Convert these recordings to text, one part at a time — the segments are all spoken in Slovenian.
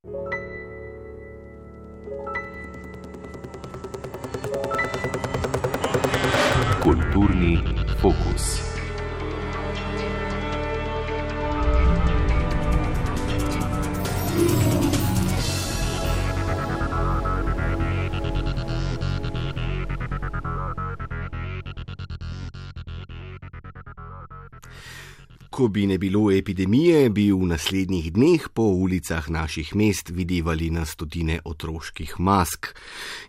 Kulturni fokus. Ko bi ne bilo epidemije, bi v naslednjih dneh po ulicah naših mest videvali na stotine otroških mask.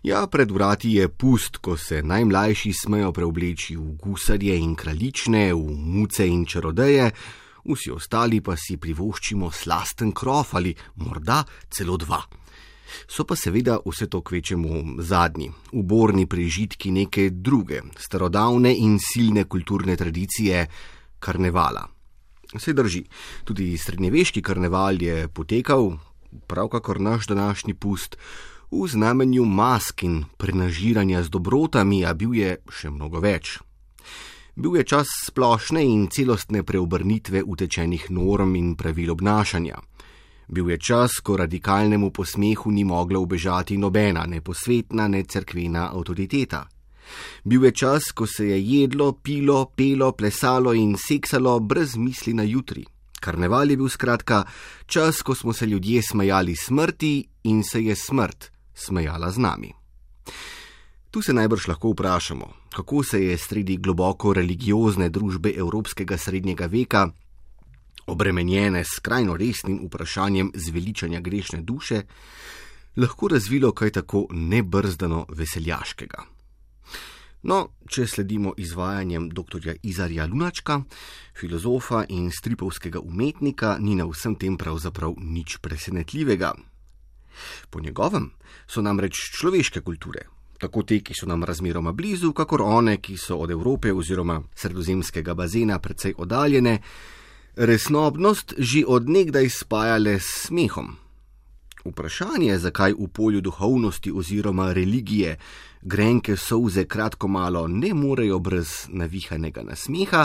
Ja, pred vrati je pust, ko se najmlajši smejo preobleči v gusarje in kraljične, v muce in čarodeje, vsi ostali pa si privoščimo slasten krof ali morda celo dva. So pa seveda vse to kvečemu zadnji, uborni prežitki neke druge, starodavne in silne kulturne tradicije karnevala. Se drži, tudi srednjeveški karneval je potekal, prav kakor naš današnji pust, v znamenju mask in prenažiranja z dobrotami, a bil je še mnogo več. Bil je čas splošne in celostne preobrnitve utečenih norm in pravil obnašanja. Bil je čas, ko radikalnemu posmehu ni mogla ubežati nobena, ne posvetna, ne cerkvena avtoriteta. Bil je čas, ko se je jedlo, pilo, pelo, plesalo in seksalo brez misli na jutri. Karneval je bil skratka čas, ko smo se ljudje smejali smrti in se je smrt smejala z nami. Tu se najbrž lahko vprašamo, kako se je sredi globoko religiozne družbe evropskega srednjega veka, obremenjene s skrajno resnim vprašanjem zveličanja grešne duše, lahko razvilo kaj tako nebrzdano veseljaškega. No, če sledimo izvajanjem dr. Izarja Lunačka, filozofa in stripovskega umetnika, ni na vsem tem pravzaprav nič presenetljivega. Po njegovem so namreč človeške kulture, tako te, ki so nam razmeroma blizu, kakor one, ki so od Evrope oziroma sredozemskega bazena precej oddaljene, resnobnost že od nekdaj spajale s smehom. Vprašanje, zakaj v polju duhovnosti oziroma religije grenke solze kratko malo ne morejo brez navihanega nasmeha,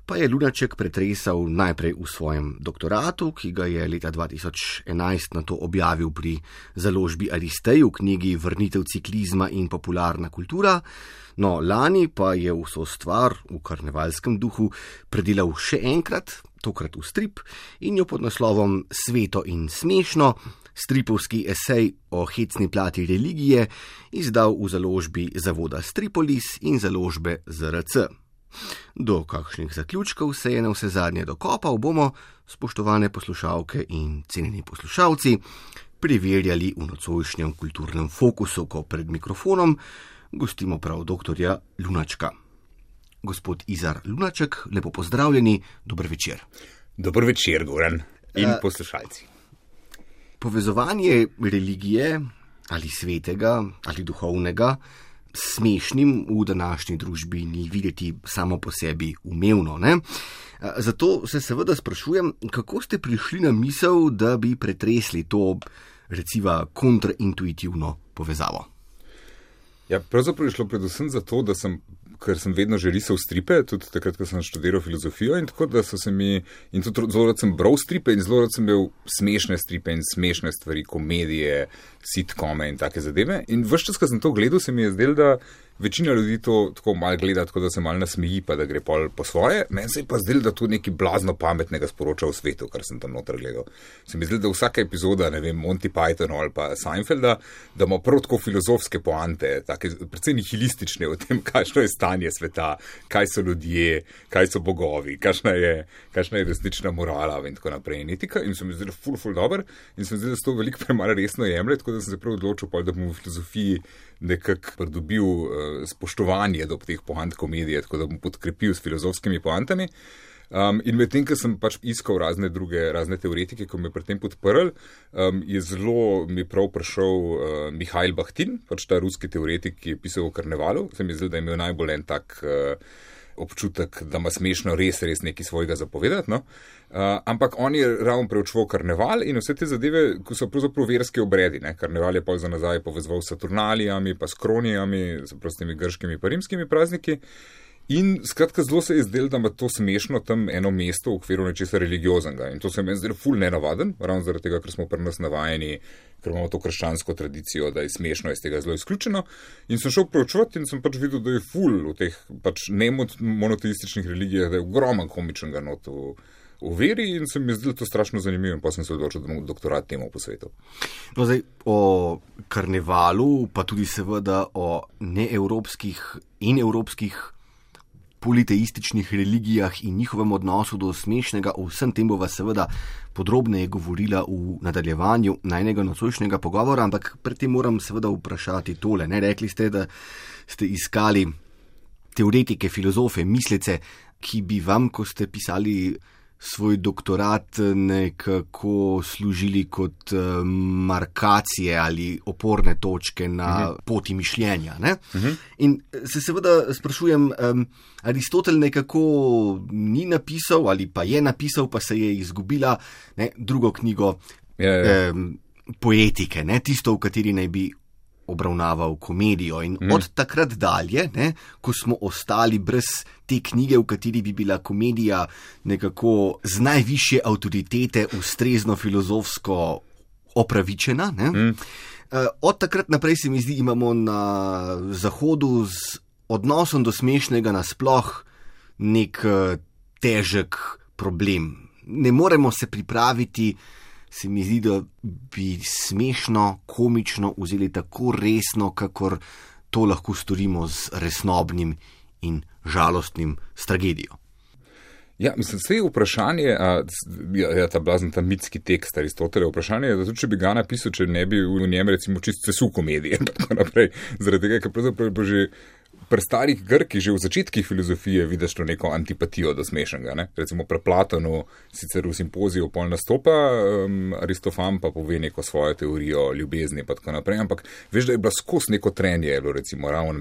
pa je Lunaček pretresal najprej v svojem doktoratu, ki ga je leta 2011 nato objavil pri založbi Aristej v knjigi Vrnitev ciklizma in popularna kultura, no lani pa je vso stvar v karnevalskem duhu predelal še enkrat, tokrat v strip, in jo pod naslovom Sveto in smešno, stripovski esej o hecni plati religije, izdal v založbi Zavoda Stripolis in založbe ZRC. Do kakšnih zaključkov se je na vse zadnje dokopal, bomo, spoštovane poslušalke in cenjeni poslušalci, preverjali v nocojšnjem kulturnem fokusu, ko pred mikrofonom gostimo prav dr. Lunačka. Gospod Izar Lunaček, lepo pozdravljeni, dober večer. Dober večer, Goran in poslušalci. Povezovanje religije ali svetega ali duhovnega s smešnim v današnji družbi ni videti samo po sebi umevno, ne? Zato se seveda sprašujem, kako ste prišli na misel, da bi pretresli to, reciva, kontraintuitivno povezavo? Ja, pravzaprav je šlo predvsem zato, ker sem vedno že risal stripe, tudi takrat, ko sem študiral filozofijo, in tako, da so se mi, in tudi zelo rad sem bral stripe in zelo rad sem imel smešne stripe in smešne stvari, komedije, sitkome in take zadeve. In ves čas, ko sem to gledal, se mi je zdelo, da večina ljudi to tako malo gleda, tako da se malo nasmeji, pa da gre pol po svoje. Meni se je pa zdelo, da to nekaj blazno pametnega sporoča v svetu, kar sem tam noter gledal. Se mi je zdelo, da vsaka epizoda, ne vem, Monty Python ali pa Seinfelda, da ima prav tako filozofske poante, take predvsem nihilistične o tem, kakšno je stanje sveta, kaj so ljudje, kaj so bogovi, kakšna je resnična morala in tako naprej. In se mi zdelo ful dober in se mi zdelo, da se to veliko premalo resno jemlje, tako da sem se prav odločil, da bom v filozofiji nekako pridobil spoštovanje do teh poant komedije, tako da bom podkrepil s filozofskimi poantami. In medtem, ko sem pač iskal razne teoretike, ko me pri tem podprl, je zelo mi prav prišel Mihail Bahtin, pač ta ruski teoretik, ki je pisal o karnevalu. Se mi je zdelo, da je imel najbolj en tak občutek, da ima smešno res nekaj svojega zapovedati. No? Ampak on je ravno preučeval karneval in vse te zadeve, ko so pravzaprav verske obredi. Ne? Karneval je pa za nazaj povezoval s Saturnalijami, pa s Kronijami, s temi grškimi pa rimskimi prazniki. In skratka, zelo se je zdelo, da ima to smešno tam eno mesto v okviru nečesa religioznega. In to se meni zdelo ful nenavaden, ravno zaradi tega, ker smo pri nas navajeni, ker imamo to krščansko tradicijo, da je smešno iz tega zelo izključeno. In sem šel preučevati in sem pač videl, da je ful v teh pač nemonoteističnih religijah, da je ogromen komičnega not v veri in se mi je zdelo to strašno zanimivo in pa sem se odločil, da bom doktorat temu posvetil. No, zdaj, o karnevalu, pa tudi seveda o neevropskih in evropskih politeističnih religijah in njihovem odnosu do smešnega, o vsem tem bova seveda podrobneje govorila v nadaljevanju najnega nocojšnjega pogovora, ampak predtem moram seveda vprašati tole. Ne? Rekli ste, da ste iskali teoretike, filozofe, mislice, ki bi vam, ko ste pisali svoj doktorat, nekako služili kot markacije ali oporne točke na poti mišljenja. Ne? In se seveda sprašujem, Aristotel nekako ni napisal ali pa je napisal, pa se je izgubila drugo knjigo Poetike, tisto, v kateri naj bi obravnaval komedijo. In od takrat dalje, ko smo ostali brez te knjige, v kateri bi bila komedija nekako z najvišje avtoritete ustrezno filozofsko opravičena, od takrat naprej se mi zdi, imamo na Zahodu z odnosom do smešnega nasploh nek težek problem. Ne moremo se pripraviti, se mi zdi, da bi smešno, komično vzeli tako resno, kakor to lahko storimo z resnobnim in žalostnim s tragedijo. Ja, mislim, vse je vprašanje, ta blazen, ta mitski tekst Aristotela, vprašanje je, da tudi če bi ga napisal, če ne bi v njem recimo čisto sesul komedije in tako naprej, zaradi tega, ker pravzaprav bo že pri starih Grkih že v začetkih filozofije vidiš to neko antipatijo do smešnega. Ne? Recimo pri Platonu, sicer v Simpoziju pol nastopa, Aristofan pa pove neko svojo teorijo ljubezni pa tako naprej, ampak veš, da je bila skozi neko trenje, recimo ravno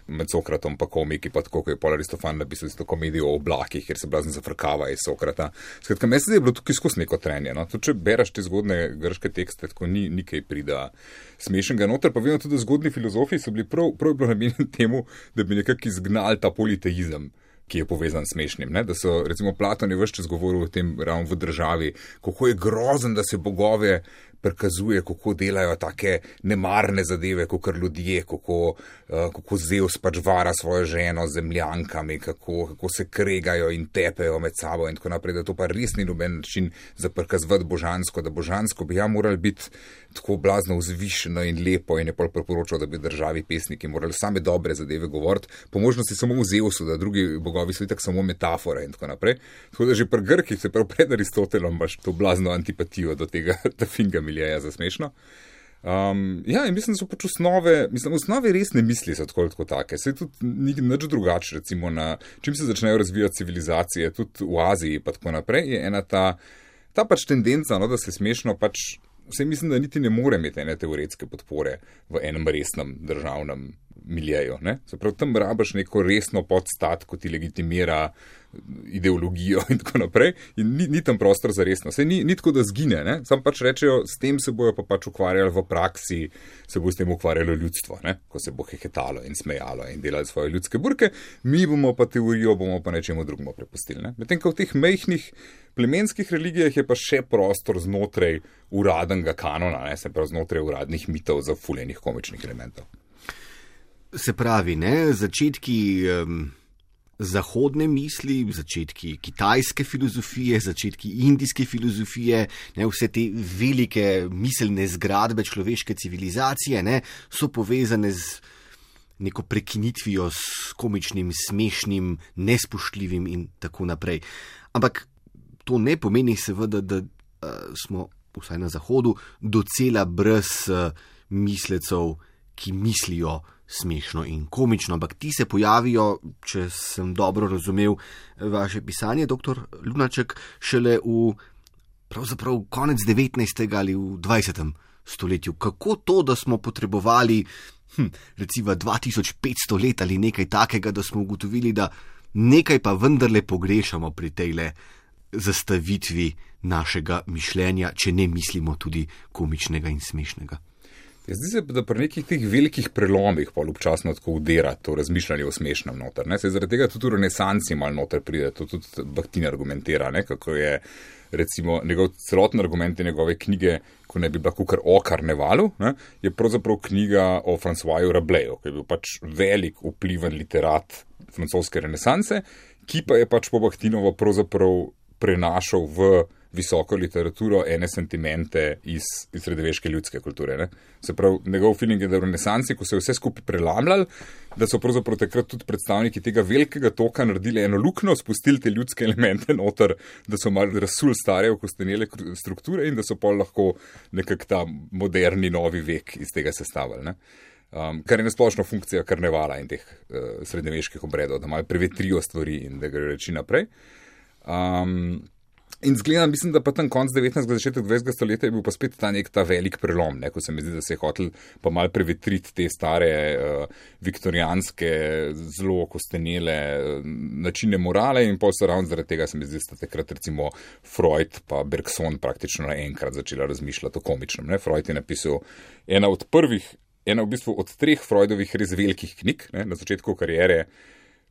med Sokratom pa komiki, pa tako, ko je pol Aristofan napisal isto komedijo o oblakih, ker se blazen zafrkava iz Sokrata. Skratka, meni se je bilo tukaj skozi neko trenje. No? Tudi če beraš te zgodne grške tekste, tako ni kaj prida smešnega noter, pa vedno tudi zgodni filozofi so bili prav bilo namenjeni temu, da bi nekako izgnali ta politeizem, ki je povezan s smešnim. Ne? Da so, recimo, Platon je ves čas govoril o tem ravno v državi, kako je grozen, da se bogove prikazuje, kako delajo take nemarne zadeve, kakor ljudje, kako Zeus pač vara svojo ženo z zemljankami, kako se kregajo in tepejo med sabo in tako naprej, da to pa res ni noben način za prikazovati božansko, da božansko bi morali biti tako blazno vzvišeno in lepo in je pol priporočal, da bi državi pesniki morali same dobre zadeve govoriti, po možnosti samo v Zeusu, da drugi bogovi so itak samo metafore in tako naprej. Tako da že pri Grkih, se prav pred Aristotelom, imaš to blazno antipatijo do tega finga miljeja za smešno. In mislim, da so pač osnove resne misli so tako take. Se tudi ni nič drugače, recimo čim se začnejo razvijati civilizacije, tudi v Aziji pa tako naprej, je ena ta pač tendenca, da se smešno pač, vse mislim, da niti ne more imeti ene teoretske podpore v enem resnem državnem miljeju. Se pravi, tam rabaš neko resno podstat, ko ti legitimira ideologijo in tako naprej in ni tam prostor za resno. Sej ni tako, da zgine, sam pač rečejo, s tem se bojo pa pač ukvarjali v praksi, se bo s tem ukvarjalo ljudstvo, ko se bo hehetalo in smejalo in delali svoje ljudske burke, mi bomo pa teorijo, bomo pa nečemu drugemu prepustili. Medtem, ko v teh majhnih plemenskih religijah je pa še prostor znotraj uradnega kanona, se pravi znotraj uradnih mitov za fuljenih komičnih elementov. Se pravi, začetki zahodne misli, začetki kitajske filozofije, začetki indijske filozofije, vse te velike miselne zgradbe človeške civilizacije so povezane z neko prekinitvijo s komičnim, smešnim, nespoštljivim in tako naprej. Ampak to ne pomeni seveda, da smo, vsaj na Zahodu, docela brez mislecev, ki mislijo smešno in komično, ampak ti se pojavijo, če sem dobro razumel vaše pisanje, dr. Lunaček, šele v pravzaprav konec 19. ali v 20. stoletju. Kako to, da smo potrebovali recimo 2500 let ali nekaj takega, da smo ugotovili, da nekaj pa vendarle pogrešamo pri tejle zastavitvi našega mišljenja, če ne mislimo tudi komičnega in smešnega? Zdi se, da pri nekih teh velikih prelomih pa občasno tako udira to razmišljanje o smešnem noter. Zaradi tega tudi v renesansi malo noter pride, to tudi Bakhtin argumentira, kako je recimo njegov celoten argument in njegove knjige, ko ne bi bila kukar o karnevalu, je pravzaprav knjiga o Francoisu Rabelayu, ki je bil pač velik vpliven literat francoske renesanse, ki pa je pač po Bakhtinovo pravzaprav prenašal v visoko literaturo ene sentimente iz srednjeveške ljudske kulture. Se pravi, njegov feeling je, da v renesansi, ko se je vse skupaj prelamljali, da so pravzaprav takrat tudi predstavniki tega velikega toka naredili eno luknjo, spustili te ljudske elemente noter, da so malo razsul stare okostenele strukture in da so pol lahko nekak ta moderni novi vek iz tega sestavili. Kar je nasplošno funkcija karnevala in teh srednjeveških obredov, da malo prevetrijo stvari in da gre reči naprej. In zgleda, mislim, da pa tam konc 19. začetek 20. stoletja je bil pa spet ta velik prelom, ko se mi zdi, da se je hotel pa malo prevetriti te stare viktorijanske, zelo okostenele načine morale in pol se ravno zaradi tega se mi zdi, da sta takrat recimo Freud pa Bergson praktično naenkrat začela razmišljati o komičnem. Freud je napisal ena v bistvu od 3 Freudovih res velikih knjig, na začetku kariere.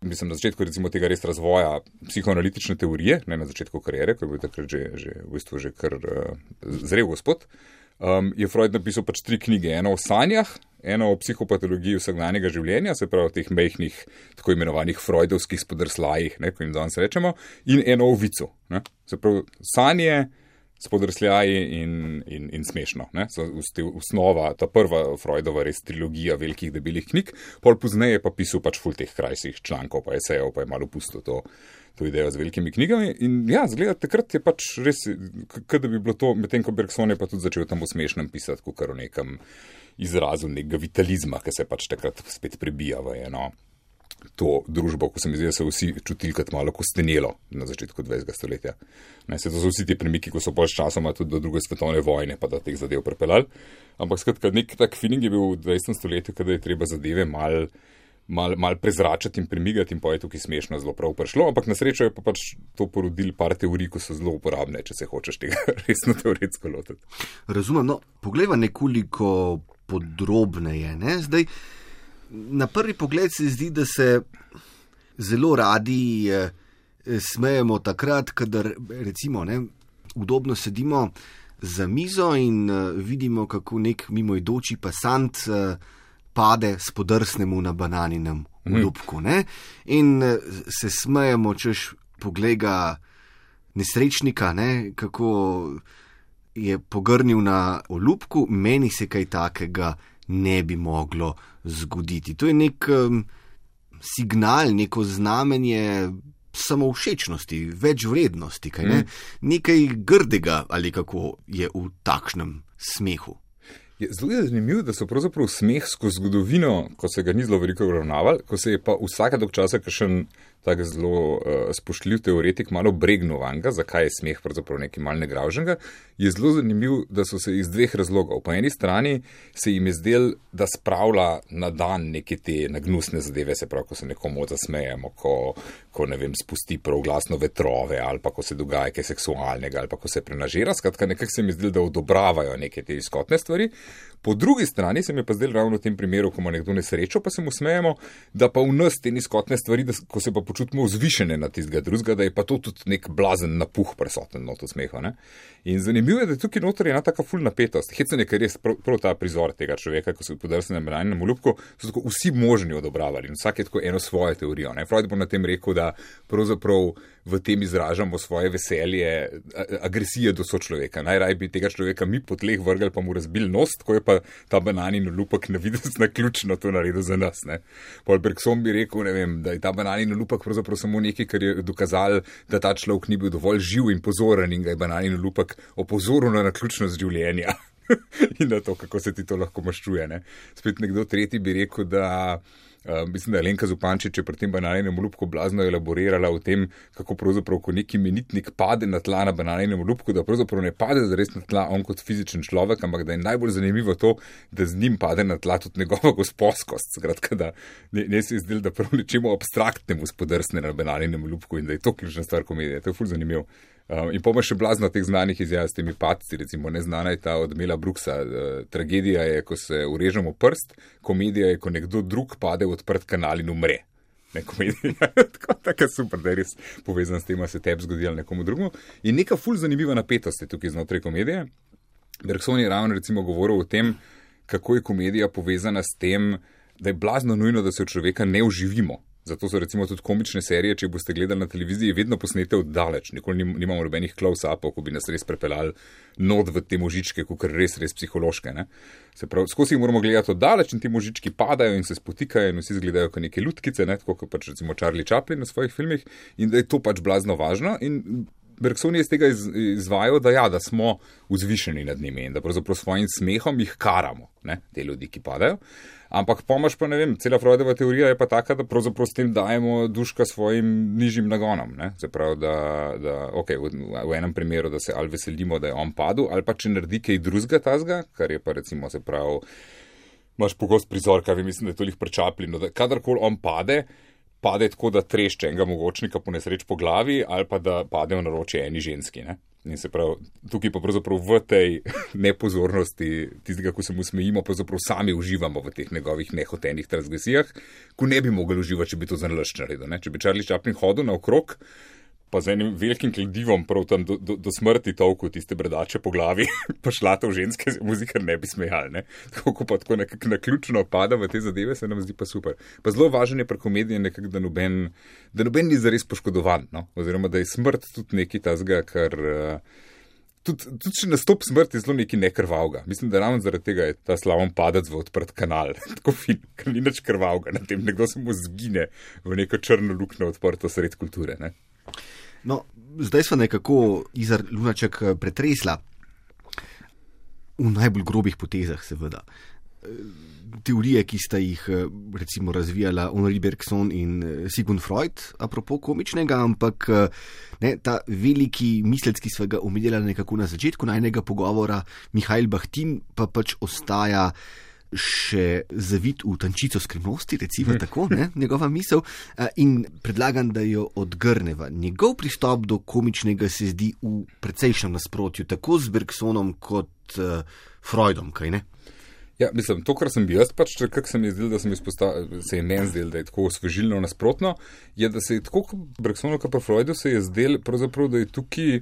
Mislim, na začetku recimo tega res razvoja psihoanalitične teorije, ne na začetku karijere, ko je bil takrat že kar zrel gospod, je Freud napisal pač 3 knjige. Eno o sanjah, eno o psihopatologiji vsakdanjega življenja, se pravi o teh mehkih, tako imenovanih freudovskih spodrslajih, ko jim danes rečemo, in eno o vicu. Se pravi, sanje, spodrsljaji in smešno. So osnova, ta prva Freudova res trilogija velikih debelih knjig, pol pozneje pa pisal pač ful teh krajših člankov, pa esejev, pa je malo pustil to idejo z velikimi knjigami. In ja, zgleda, takrat je pač res, da bi bilo to, medtem ko Bergson je pa tudi začel tam v smešnem pisati, kakor o nekem izrazu nekega vitalizma, ki se pač takrat spet prebija v eno to družbo, ko se mi zdi, da so vsi čutili kot malo kostenelo na začetku 20. stoletja. To so vsi ti premiki, ko so pač časoma tudi do druge svetovne vojne pa da teh zadev prepeljali. Ampak skratka, nek tak feeling je bil v 20. stoletju, kada je treba zadeve mal prezračati in premigati in pa je tukaj smešno zelo prav prišlo, ampak na srečo je pa pač to porodil par teorij, ko so zelo uporabne, če se hočeš tega resno teoretsko lotiti. Razumem, poglejva nekoliko podrobneje, Zdaj, na prvi pogled se zdi, da se zelo radi smejemo takrat, kadar recimo udobno sedimo za mizo in vidimo, kako nek mimoidoči pasant pade spodrsnemu na bananinem olupku. In se smejemo, češ poglej ga nesrečnika, kako je pogrnil na olupku, meni se kaj takega ne bi moglo zgoditi. To je nek signal, neko znamenje samovšečnosti, večvrednosti, nekaj grdega ali kako je v takšnem smehu. Zelo je zanimivo, da so pravzaprav smeh skozi zgodovino, ko se ga ni zelo veliko obravnavali, ko se je pa vsaka dolg časa kakšen tak zelo spoštljiv teoretik malo bregnil vanga, zakaj je smeh pravzaprav nekaj malo negravženega, je zelo zanimivo, da so se iz 2 razlogov. Po eni strani se jim je zdel, da spravlja na dan neke te nagnusne zadeve, se pravi, ko se nekomu zasmejemo, ko ne vem, spusti prav glasno vetrove, ali pa ko se dogaja kaj seksualnega, ali pa ko se prenažira, skratka nekako se mi zdel, da odobravajo neke te izkotne stvari. Po drugi strani se mi pa zdel ravno v tem primeru, ko ima nekdo nesrečo, pa se mu smejemo, da pa v nas te nizkotne stvari, da, ko se pa počutimo vzvišene na tistega drugega, da je pa to tudi nek blazen napuh prisoten not v smehu. In zanimivo je, da tukaj noter je ena taka ful napetost. Hecen je, ker je prav ta prizor tega človeka, ko se podrsne na bananinem olupku, so tako vsi možni odobravali in vsak je tako eno svojo teorijo. Freud bo na tem rekel, da pravzaprav v tem izražamo svoje veselje, agresije do sočloveka. Najraj bi tega človeka mi po tleh vrgli, pa mu razbil nos, tako je pa ta bananin olupek navidez naključno to naredil za nas. Paul Bergson bi rekel, ne vem, da je ta bananin olupek pravzaprav samo nekaj, kar je dokazal, da ta človek ni bil dovolj živ in pozoren in ga je bananin olupek opozoril na naključnost življenja in na to, kako se ti to lahko maščuje. Spet nekdo tretji bi rekel, da mislim, da je Alenka Zupančič pri tem bananinem olupku blazno elaborirala o tem, kako pravzaprav, ko neki imenitnik pade na tla na bananinem olupku, da pravzaprav ne pade zares na tla on kot fizičen človek, ampak da je najbolj zanimivo to, da z njim pade na tla tudi njegova gosposkost. Skratka, da ne se je zdelo, da prav nečemu abstraktnemu spodrsne na bananinem olupku in da je to ključna stvar komedije. To je ful zanimivo. In pa še blazno teh znanih izjav s temi padci, recimo neznana je ta od Mela Brooksa. Tragedija je, ko se urežemo prst, komedija je, ko nekdo drug pade v odprt kanal in umre. Ne, komedija je tako super, da je res povezan s tem, da se tebi zgodi ali nekomu drugemu. In neka ful zanimiva napetost je tukaj znotraj komedije. Bergson je ravno recimo govoril o tem, kako je komedija povezana s tem, da je blazno nujno, da se od človeka ne uživimo. Zato so recimo tudi komične serije, če boste gledali na televiziji, vedno posnete od daleč. Nikoli nimamo nobenih close-upov, ko bi nas res prepeljali not v te možičke, kakor res psihološke. Ne? Se pravi, skozi jih moramo gledati od daleč in ti možički padajo in se spotikajo in vsi izgledajo kot neke lutkice, ne? Tako kot pač recimo Charlie Chaplin v svojih filmih, in da je to pač blazno važno. In Bergson je iz tega izvajal, da smo vzvišeni nad njimi in da pravzaprav svojim smehom jih karamo, ne? Te ljudi, ki padajo. Ampak pomaž pa, ne vem, cela Freudova teorija je pa taka, da pravzaprav s tem dajemo duška svojim nižjim nagonom. Ne? Se pravi, da okay, v enem primeru, da se ali veselimo, da je on padel, ali pa če naredi kaj drugega tazga, kar je pa recimo, se pravi, imaš pogost prizor, kaj mislim, da je toliko prečapljivo, da kadarkoli on pade tako, da trešče enega mogočnika po nesreč po glavi, ali pa da pade v naročje eni ženski. Ne? In se pravi, tukaj pa pravzaprav v tej nepozornosti tistega, ko se mu smejimo, pravzaprav sami uživamo v teh njegovih nehotenih transgresijah, ko ne bi mogli uživati, če bi to zanalašč naredil. Če bi Charlie Chaplin hodil naokrog, pa z enim velikim kladivom prav tam do smrti tolku tiste bradače po glavi, pa šlatov ženske muzikar ne bi smejali. Ne? Tako pa tako nekako naključno pada v te zadeve, se nam zdi pa super. Pa zelo važno je pri komediji nekako, da noben ni zares poškodovan, no? Oziroma da je smrt tudi nekaj tazga, kar tudi če nastop smrt je zelo nekaj nekrvavga. Mislim, da ravno zaradi tega je ta slaven padec v odprt kanal. Tako fin, ker ni nič krvavga na tem, nekdo se mu zgine v neko črno luknjo odprto sred kulture. Ne? No, zdaj smo nekako Izar Lunaček pretresla v najbolj grobih potezah, seveda. Teorije, ki sta jih recimo razvijala Henri Bergson in Sigmund Freud, apropo komičnega, ampak ne, ta veliki mislec, ki sva ga omenjala nekako na začetku najnega pogovora, Mihail Bachtin, pa pač ostaja še zavit v tančico skrivnosti, recimo tako, ne, njegova misel, in predlagam, da jo odgrneva. Njegov pristop do komičnega se zdi v precejšnjem nasprotju, tako z Bergsonom kot Freudom, kaj ne? Ja, mislim, to, kar sem bil jaz, pač, kak se mi je zdel, da se je meni zdel, da je tako osvežilno nasprotno, je, da se je tako kot Bergsonu, kot pa Freudu se je zdel, pravzaprav, da je tukaj,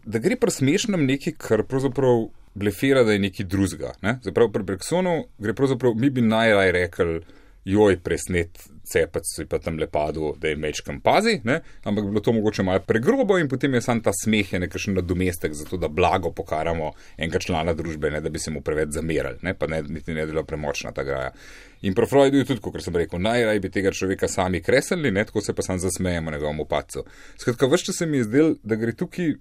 da gre pri smešnem nekaj, kar pravzaprav blefira, da je nekaj drugega. Ne? Zaprav pri Bergsonu gre pravzaprav, mi bi najraj rekli, joj, presnet cepec si pa tam lepadu, da je mečkam pazi, ne? Ampak bi bilo to mogoče malo pregrobo in potem je sam ta smeh je nekakšen nadomestek za to, da blago pokaramo enega člana družbe, ne, da bi se mu preveč zamerali, ne? Pa niti ne bila premočna ta graja. In pri Freudu je tudi, kot sem rekel, najraj bi tega človeka sami kreslili, ne? Tako se pa sam zasmejemo njegovemu padcu. Skratka, vse se mi je zdel, da gre tukaj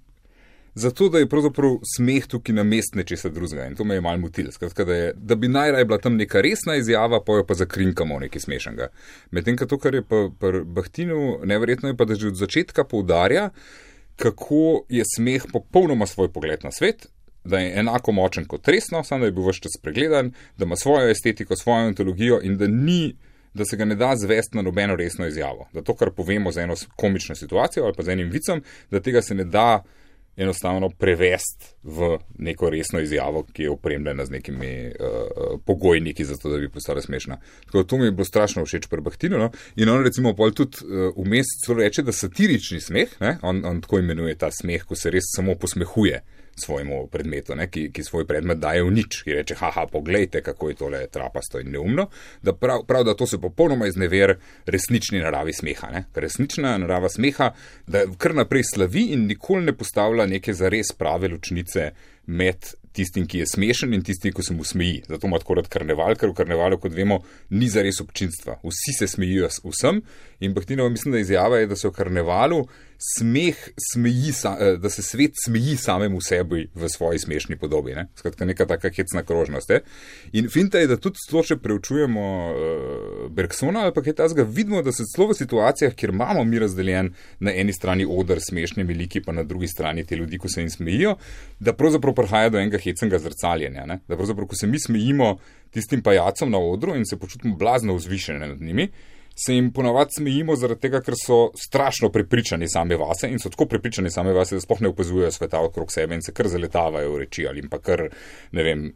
zato, da je pravzaprav smeh tukaj na mest nečesa drugega in to me je malo motil. Skratka, da bi najraj bila tam neka resna izjava, pa jo pa zakrinkamo nekaj smešnega. Medtem, to, kar je pa pri Bachtinu, neverjetno je pa, da že od začetka poudarja, kako je smeh popolnoma svoj pogled na svet, da je enako močen kot resno, samo da je bil ves čas pregledan, da ima svojo estetiko, svojo ontologijo in da se ga ne da zvesti na nobeno resno izjavo. Da to, kar povemo za eno komično situacijo ali pa za enim vicem, da tega se ne da enostavno prevesti v neko resno izjavo, ki je opremljena z nekimi pogojniki za to, da bi postala smešna. Tako to mi je bilo strašno všeč pri Bachtinu, no? In on recimo pol tudi vmes celo reče, da satirični smeh, ne? On tako imenuje ta smeh, ko se res samo posmehuje svojemu predmetu, ne? Ki svoj predmet daje v nič, ki reče, haha, poglejte, kako je tole trapasto in neumno, da prav da to se popolnoma iznever resnični naravi smeha, ne? Ker resnična narava smeha, da kar naprej slavi in nikoli ne postavlja neke zares prave ločnice med tistim, ki je smešen in tistim, ki se mu smeji. Zato ima tako rad karneval, ker v karnevalu, kot vemo, ni zares občinstva. Vsi se smejijo vsem in Bachtinova mislim, da izjava je, da se v karnevalu da se svet smeji samemu sebi v svoji smešni podobi. Ne? Skratka, neka taka hecna krožnost. In finta je, da tudi celo, če preučujemo Bergsona ali pa kaj tazga, vidimo, da se celo v situacijah, kjer imamo mi razdeljen na eni strani oder smešnimi liki, pa na drugi strani te ljudi, ko se jim smejijo, da pravzaprav prihaja do enega hecnega zrcaljenja. Ne? Da pravzaprav, ko se mi smejimo tistim pajacom na odru in se počutimo blazno vzvišene nad njimi, se jim ponavadi smejimo zaradi tega, ker so strašno prepričani sami vase in so tako prepričani sami vase, da sploh ne opazujejo sveta okrog sebe in se kar zaletavajo v reči ali pa kar, ne vem,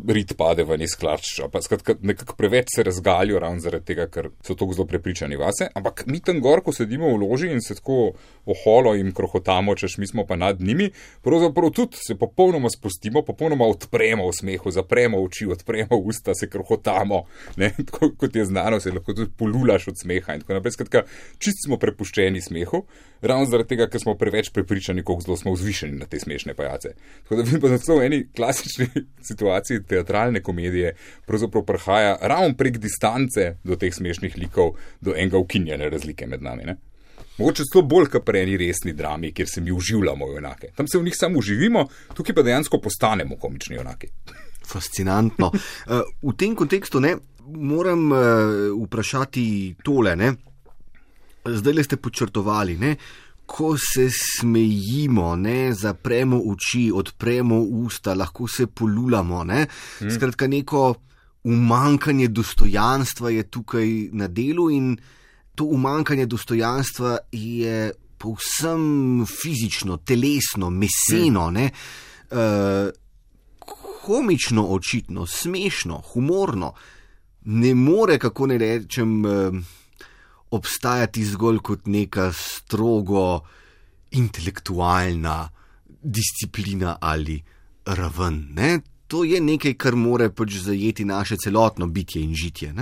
rit pade ven iz klač, pa skratka nekako preveč se razgalijo ravno zaradi tega, ker so tako zelo prepričani vase, ampak mi tam gor, ko sedimo v loži in se tako oholo in krohotamo, češ mi smo pa nad njimi, pravzaprav tudi se popolnoma spustimo, popolnoma odpremo v smehu, zapremo oči, odpremo usta, se krohotamo, ne, tako kot je znano, se lahko tudi polulaš od smeha in tako naprej, skratka, čist smo prepuščeni smehu, ravno zaradi tega, ker smo preveč prepričani, koliko zelo smo vzvišeni na te smešne pajace. Tako da vidim pa v eni klasični situaciji teatralne komedije pravzaprav prihaja ravno prek distance do teh smešnih likov, do enega ukinjene razlike med nami, ne? Mogoče celo bolj kot pri eni resni drami, kjer se mi uživljamo junake. Tam se v njih samo uživimo, tukaj pa dejansko postanemo komični junaki. Fascinantno. V tem kontekstu moram vprašati tole, zdaj ste podčrtovali, ko se smejimo, zapremo oči, odpremo usta, lahko se polulamo, Skratka, neko umankanje dostojanstva je tukaj na delu in to umankanje dostojanstva je povsem fizično, telesno, meseno, komično očitno, smešno, humorno, ne more, kako ne rečem, obstajati zgolj kot neka strogo intelektualna disciplina ali raven. To je nekaj, kar more zajeti naše celotno bitje in žitje.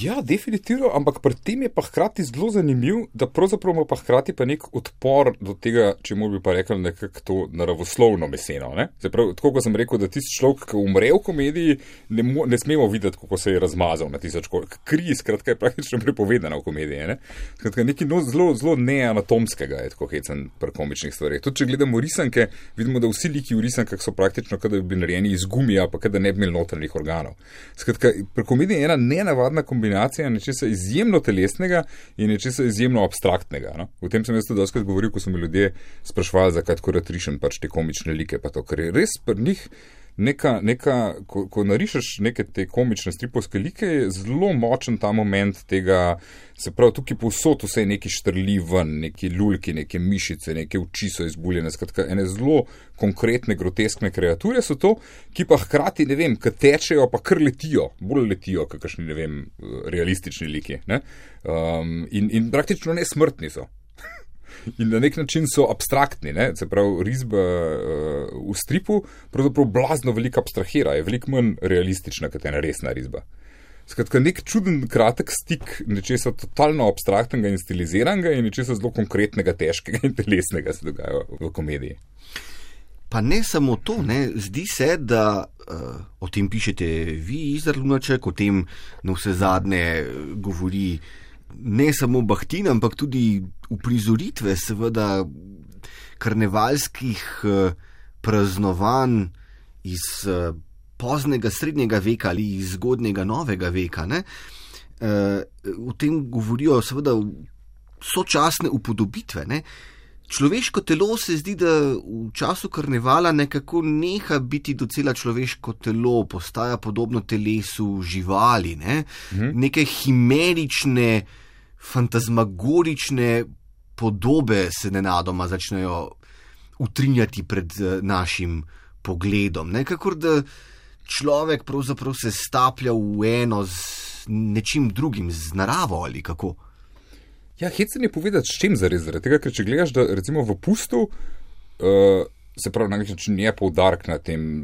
Ja, definitivno, ampak pri tem je pa hkrati zelo zanimiv, da pravzaprav ima pa hkrati pa nek odpor do tega, če bi pa rekel nekako to naravoslovno meseno. Pravi, tako kot sem rekel, da tisti človek, ki umre v komediji, ne smemo videti, kako se je razmazal na tisoč kolik. Kri, skratka, je praktično prepovedana v komediji. Skratka, nekaj zelo neanatomskega je tako hecen pri komičnih stvarih. Tudi če gledamo risanke, vidimo, da vsi liki v risankah so praktično, kada bi bili narejeni iz gumija, pa kada ne bi imeli notranjih organov. Skratka, pri komediji je ena nenavadna kombinacija nečesa izjemno telesnega in nečesa izjemno abstraktnega. No? V tem sem jaz tudi dostakrat govoril, ko so mi ljudje sprašvali, zakaj tako rad rišem te komične like, pa to, ker je res pri njih ko narišeš neke te komične stripovske like, je zelo močen ta moment tega, se pravi, tukaj povsod vse neki štrli ven, neki lulki, neke mišice, neke oči so izbuljene, skratka, ene zelo konkretne, groteskne kreature so to, ki pa hkrati, ne vem, kad tečejo, pa kar letijo, bolj letijo, kakšni, ne vem, realistični liki, in praktično nesmrtni so. In na nek način so abstraktni, se pravi, risba v stripu pravzaprav blazno veliko abstrahira, je veliko manj realistična, kot ena resna risba. Skratka, nek čuden kratek stik nečesa totalno abstraktnega in stiliziranega in nečesa zelo konkretnega, težkega in telesnega se dogaja v komediji. Pa ne samo to, zdi se, da o tem pišete vi, Izar Lunaček, o tem na vse zadnje govori ne samo Bahtin, ampak tudi uprizoritve seveda karnevalskih praznovanj iz poznega srednjega veka ali iz zgodnjega novega veka. O tem govorijo seveda sočasne upodobitve. Človeško telo se zdi, da v času karnevala nekako neha biti docela človeško telo, postaja podobno telesu živali, neke himerične, fantazmagorične podobe se nenadoma začnejo utrinjati pred našim pogledom. Kakor da človek pravzaprav se staplja v eno z nečim drugim, z naravo ali kako. Ja, hecen je povedati, s čim zares, zaradi tega, ker če gledaš, da recimo v pustu, se pravi, na nek način je poudarek na tem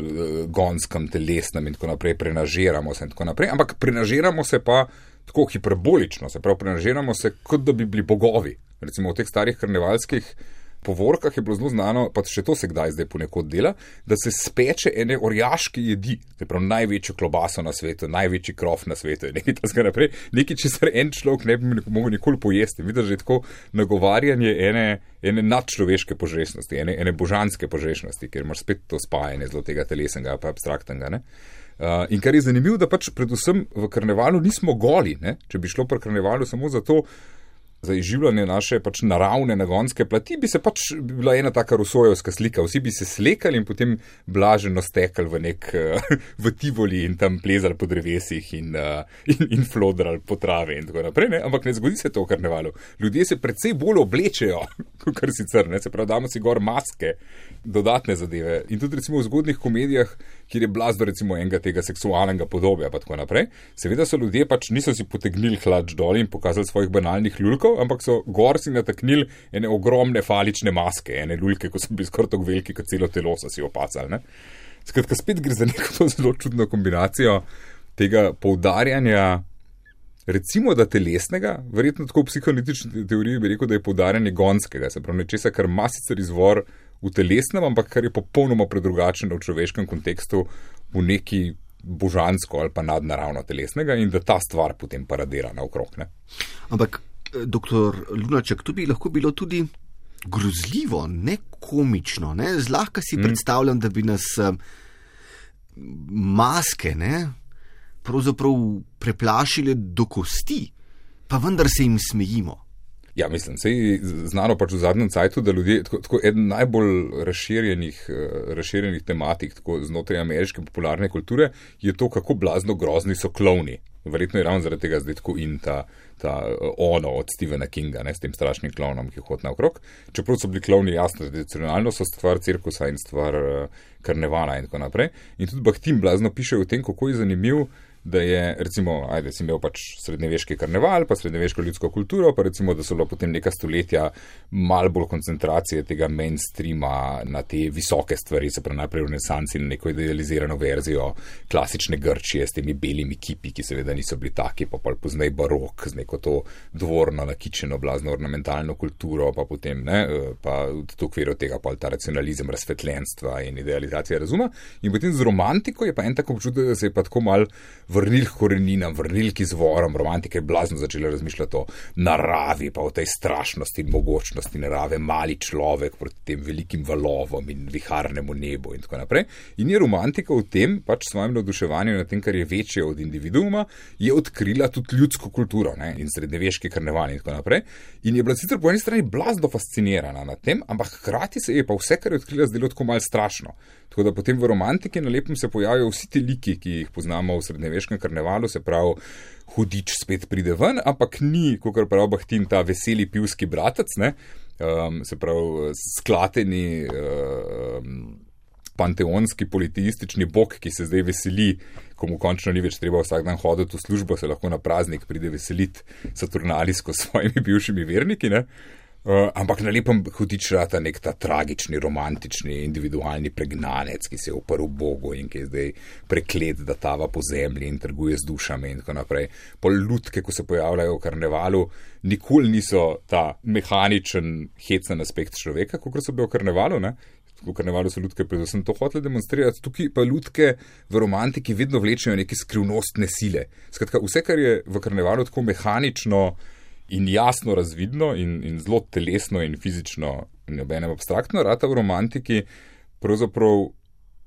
gonskem, telesnem in tako naprej, prenažiramo se in tako naprej, ampak prenažiramo se pa tako hiperbolično, se pravi, prenažiramo se, kot da bi bili bogovi. Recimo v teh starih karnevalskih povorkah je bilo zelo znano, pa še to se kdaj zdaj ponekod dela, da se speče ene orjaške jedi, se pravi, največjo klobaso na svetu, največji krof na svetu in nekaj tako naprej, nekaj, česar en človek ne bi mogel nikoli pojesti. Vidiš, že tako nagovarjanje ene nadčloveške požrešnosti, ene božanske požrešnosti, ker imaš spet to spajanje zelo tega telesnega pa abstraktnega, in kar je zanimivo, da pač predvsem v karnevalu nismo goli, če bi šlo pri karnevalu samo za to, za izživljanje naše pač naravne nagonske plati, bi se pač bila ena taka rusojevska slika. Vsi bi se slekali in potem blaženo stekali v Tivoli in tam plezali po drevesih in flodrali po travi in tako naprej. Ne? Ampak ne zgodi se to v karnevalu. Ljudje se precej bolj oblečejo, kot sicer, ne? Se pravi, damo si gor maske, dodatne zadeve. In tudi recimo v zgodnih komedijah, kjer je blazno recimo enega tega seksualnega podobja pa tako naprej, seveda so ljudje pač niso si potegnili hlač dol in pokazali svojih banalnih lulkov, ampak so gor si nataknili ene ogromne falične maske, ene lulke, ko so bili skoraj tako veliki, kot celo telo so si opacali. Ne? Skratka, spet gre za neko zelo čudno kombinacijo tega poudarjanja, recimo da telesnega, verjetno tako v psihoanalitični teoriji bi rekel, da je poudarjanje gonskega, se pravi nečesa, kar ima sicer izvor v telesnem, ampak kar je popolnoma predrugačeno v človeškem kontekstu v neki božansko ali pa nadnaravno telesnega in da ta stvar potem paradira naokrog. Ne? Ampak, doktor Lunaček, to bi lahko bilo tudi grozljivo, ne komično. Ne? Zlahka si predstavljam, da bi nas maske pravzaprav preplašile do kosti, pa vendar se jim smejimo. Ja, mislim, se je znano pač v zadnjem cajtu, da ljudje, tako eden najbolj razširjenih tematik tako znotraj ameriške popularne kulture je to, kako blazno grozni so klovni. Verjetno je ravno zaradi tega zdaj tako in ta ono od Stephena Kinga, ne, s tem strašnim klovnom, ki hodi naokrog. Čeprav so bili klovni jasno, tradicionalno so stvar cirkusa in stvar karnevala in tako naprej. In tudi Bakhtin blazno piše o tem, kako je zanimiv, da je, recimo, si imel pač srednjeveški karneval, pa srednjeveško ljudsko kulturo, pa recimo, da so bilo potem neka stoletja malo bolj koncentracije tega mainstreama na te visoke stvari, se pravi najprej v renesansi na neko idealizirano verzijo klasične Grčije s temi belimi kipi, ki seveda niso bili taki, pa poznej barok z neko to dvorno nakičeno blazno ornamentalno kulturo, pa potem, pa v okviru tega pa ta racionalizem razsvetljenstva in idealizacija razuma. In potem z romantiko je pa en tako občutek, da se je pa tako mal vrnil k koreninam, vrnil k izvorom, romantika je blazno začela razmišljati o naravi, pa o tej strašnosti in mogočnosti narave, mali človek proti tem velikim valovom in viharnemu nebu in tako naprej. In je romantika v tem, pač svojim navduševanjem na tem, kar je večje od individuuma, je odkrila tudi ljudsko kulturo, ne, in srednjeveški karneval in tako naprej. In je bila sicer po eni strani blazno fascinirana nad tem, ampak hkrati se je pa vse, kar je odkrila, zdelo tako malo strašno. Tako da potem v romantiki na lepem se pojavijo vsi ti liki, ki jih poznamo v srednjeveškem karnevalu, se pravi, hudič spet pride ven, ampak ni, kakor pravi Bakhtin, ta veseli pivski bratec, ne, se pravi, sklateni panteonski politeistični bog, ki se zdaj veseli, ko mu končno ni več treba vsak dan hoditi v službo, se lahko na praznik pride veseliti Saturnalijsko s svojimi bivšimi verniki, ne. Ampak na lepem hudič rata nek ta tragični, romantični, individualni pregnanec, ki se je uprl Bogu in ki je zdaj preklet, da tava po zemlji in trguje z dušami in tako naprej. Pol lutke, ko se pojavljajo v karnevalu, nikoli niso ta mehaničen, hecen aspekt človeka, kot so bili v karnevalu, ne? V karnevalu so lutke predvsem to hotele demonstrirati, tukaj pa lutke v romantiki vedno vlečejo neke skrivnostne sile. Skratka, vse, kar je v karnevalu tako mehanično in jasno razvidno in zelo telesno in fizično in obenem abstraktno, rata v romantiki pravzaprav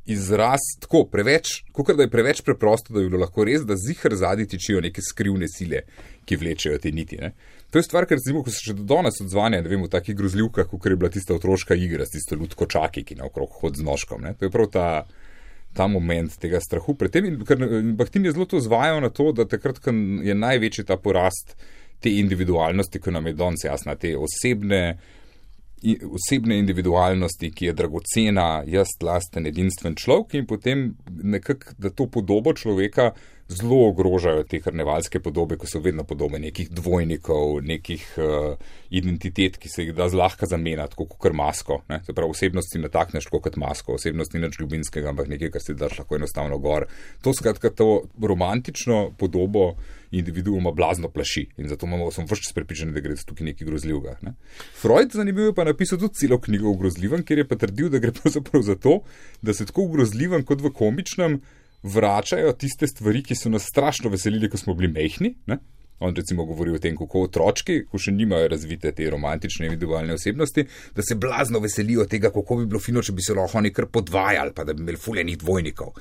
izraz tako preveč, kakor da je preveč preprosto, da bi bilo lahko res, da ziher zadnji tičijo neke skrivne sile, ki vlečejo te niti. Ne? To je stvar, ker recimo, ko se še do danes odzvanja, ne vem, v takih grozljivkah, kot je bila tista otroška igra s tisto lutkočaki, ki naokrog hod z nožkom. Ne? To je prav ta moment tega strahu pred tem. In Bakhtin je zelo to zvajal na to, da takrat, ko je največji ta porast te individualnosti, ki nam je danes jasna, te osebne individualnosti, ki je dragocena, jaz, lasten, edinstven človek in potem nekako, da to podobo človeka zelo ogrožajo te karnevalske podobe, ko so vedno podobe nekih dvojnikov, nekih identitet, ki se jih da zlahka zamenjati, tako kot masko. Ne? Se pravi, osebnost si natakneš tako kot masko, osebnost ni nič ljubinskega, ampak nekaj, kar si daš lahko enostavno gor. To skratka to romantično podobo individuuma blazno plaši in zato sem vse čas prepričan, da gre tukaj nekaj grozljivega. Ne? Freud, zanimivo, je pa napisal tudi celo knjigo o grozljivem, kjer je pa trdil, da gre pravzaprav za to, da se tako v grozljivem kot v komičnem vračajo tiste stvari, ki so nas strašno veselili, ko smo bili mehni, ne? On recimo govori o tem, kako otročki, ko še nimajo razvite te romantične individualne osebnosti, da se blazno veselijo tega, kako bi bilo fino, če bi se lahko oni kar podvajali, pa da bi imeli fuljenih dvojnikov,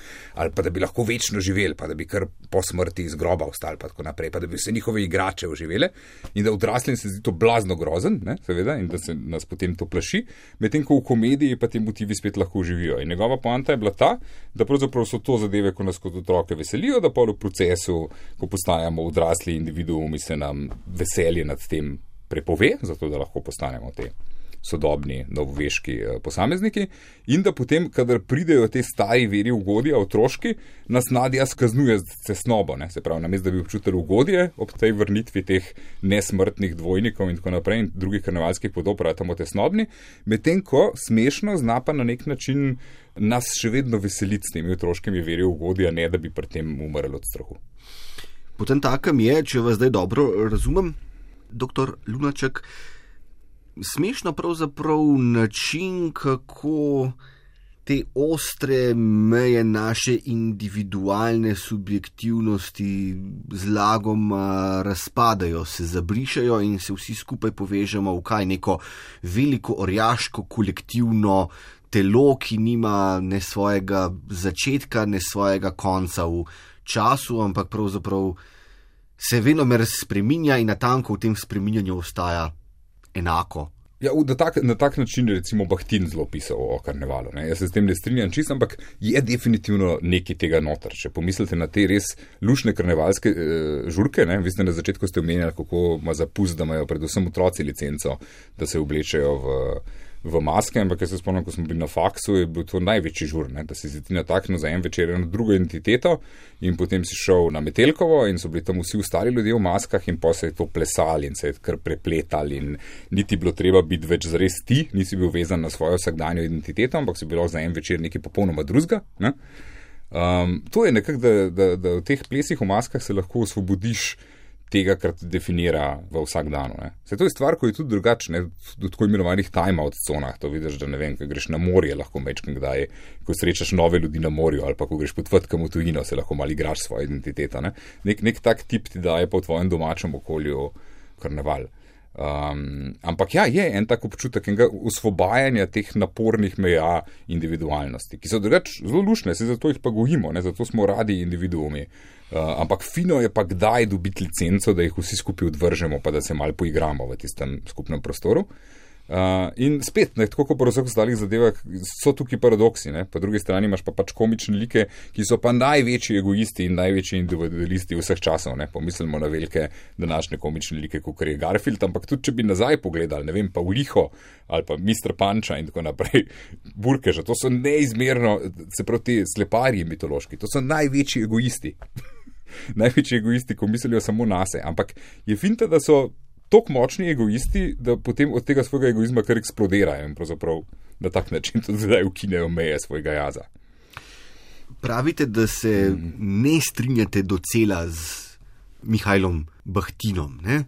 ali pa da bi lahko večno živeli, pa da bi kar po smrti iz groba ostali, pa tako naprej, pa da bi vse njihove igrače oživele in da odraslim se zdi to blazno grozen, ne, seveda, in da se nas potem to plaši, medtem ko v komediji pa ti motivi spet lahko živijo. In njegova poanta je bila ta, da pravzaprav so to zadeve, ko nas kot otroke veselijo, da pa v procesu, ko postajamo odrasli individuumi, se nam veselje nad tem prepove, zato da lahko postanemo te sodobni, novoveški posamezniki in da potem, kadar pridejo te stari veri ugodja, otroški, nas nadjaz kaznuje z cesnobo, ne? Se pravi, namesto da bi občutili ugodje ob tej vrnitvi teh nesmrtnih dvojnikov in tako naprej in drugih karnevalskih podob, ratamo tesnobni, medtem ko smešno zna pa na nek način nas še vedno veseliti s temi otroškimi veri ugodja, ne da bi pri tem umrli od strahu. Potem takem je, če vas zdaj dobro razumem, doktor Lunaček, smešno pravzaprav način, kako te ostre meje naše individualne subjektivnosti zlagoma razpadajo, se zabrišajo in se vsi skupaj povežemo v kaj neko veliko orjaško kolektivno telo, ki nima ne svojega začetka, ne svojega konca v času, ampak pravzaprav se venomer spreminja in natanko v tem spreminjanju ostaja enako. Ja, na tak način je recimo Bahtin zelo pisal o karnevalu. Ne? Jaz se s tem ne strinjam čisto, ampak je definitivno nekaj tega noter. Če pomislite na te res lušne karnevalske žurke, ne? Vi ste na začetku omenjali, kako ima zapust, da imajo predvsem otroci licenco, da se oblečejo v maske, ampak jaz se spomnim, ko smo bili na faksu, je bil to največji žur, ne? Da si ti nataknil za en večer eno drugo identiteto in potem si šel na Metelkovo in so bili tam vsi ostali ljudje v maskah in pa se je to plesali in se je kar prepletali in niti bilo treba biti več zares ti, nisi bil vezan na svojo vsakdanjo identiteto, ampak si bilo za en večer nekaj popolnoma drugega. Ne? To je nekako, da v teh plesih v maskah se lahko osvobodiš tega, kar te definira v vsakdanu. Se to je stvar, ko je tudi drugačne, v tako imenovanih time-out conah. To vidiš, da ne vem, ko greš na morje, lahko mečkam kdaj, ko srečaš nove ljudi na morju ali pa ko greš potvrtkam v tujino, se lahko malo igraš svojo identiteto. Ne? Nek tak tip ti daje pa v tvojem domačem okolju karneval. Ampak ja, je en tak občutek enega osvobajanja teh napornih meja individualnosti, ki so drugače zelo lušne, se zato jih pa gojimo, ne? Zato smo radi individuumi. Ampak fino je pa kdaj dobiti licenco, da jih vsi skupaj odvržemo, pa da se malo poigramo v tistem skupnem prostoru. In spet, ne, tako kot po vseh ostalih zadevah, so tukaj paradoksi. Ne? Po drugi strani imaš pa pač komične like, ki so pa največji egoisti in največji individualisti vseh časov. Ne? Pomislimo na velike današnje komične like, kot je Garfield, ampak tudi če bi nazaj pogledali, ne vem, pa Uliho ali pa Mr. Panča in tako naprej, Burkeža, to so neizmerno, se pravi ti sleparji mitološki, to so največji egoisti. Največji egoisti, ko mislijo samo nase, ampak je finta, da so toliko močni egoisti, da potem od tega svojega egoizma kar eksplodirajo in pravzaprav na tak način tudi zdaj ukinejo meje svojega jaza. Pravite, da se ne strinjate docela z Mihajlom Bahtinom. Ne?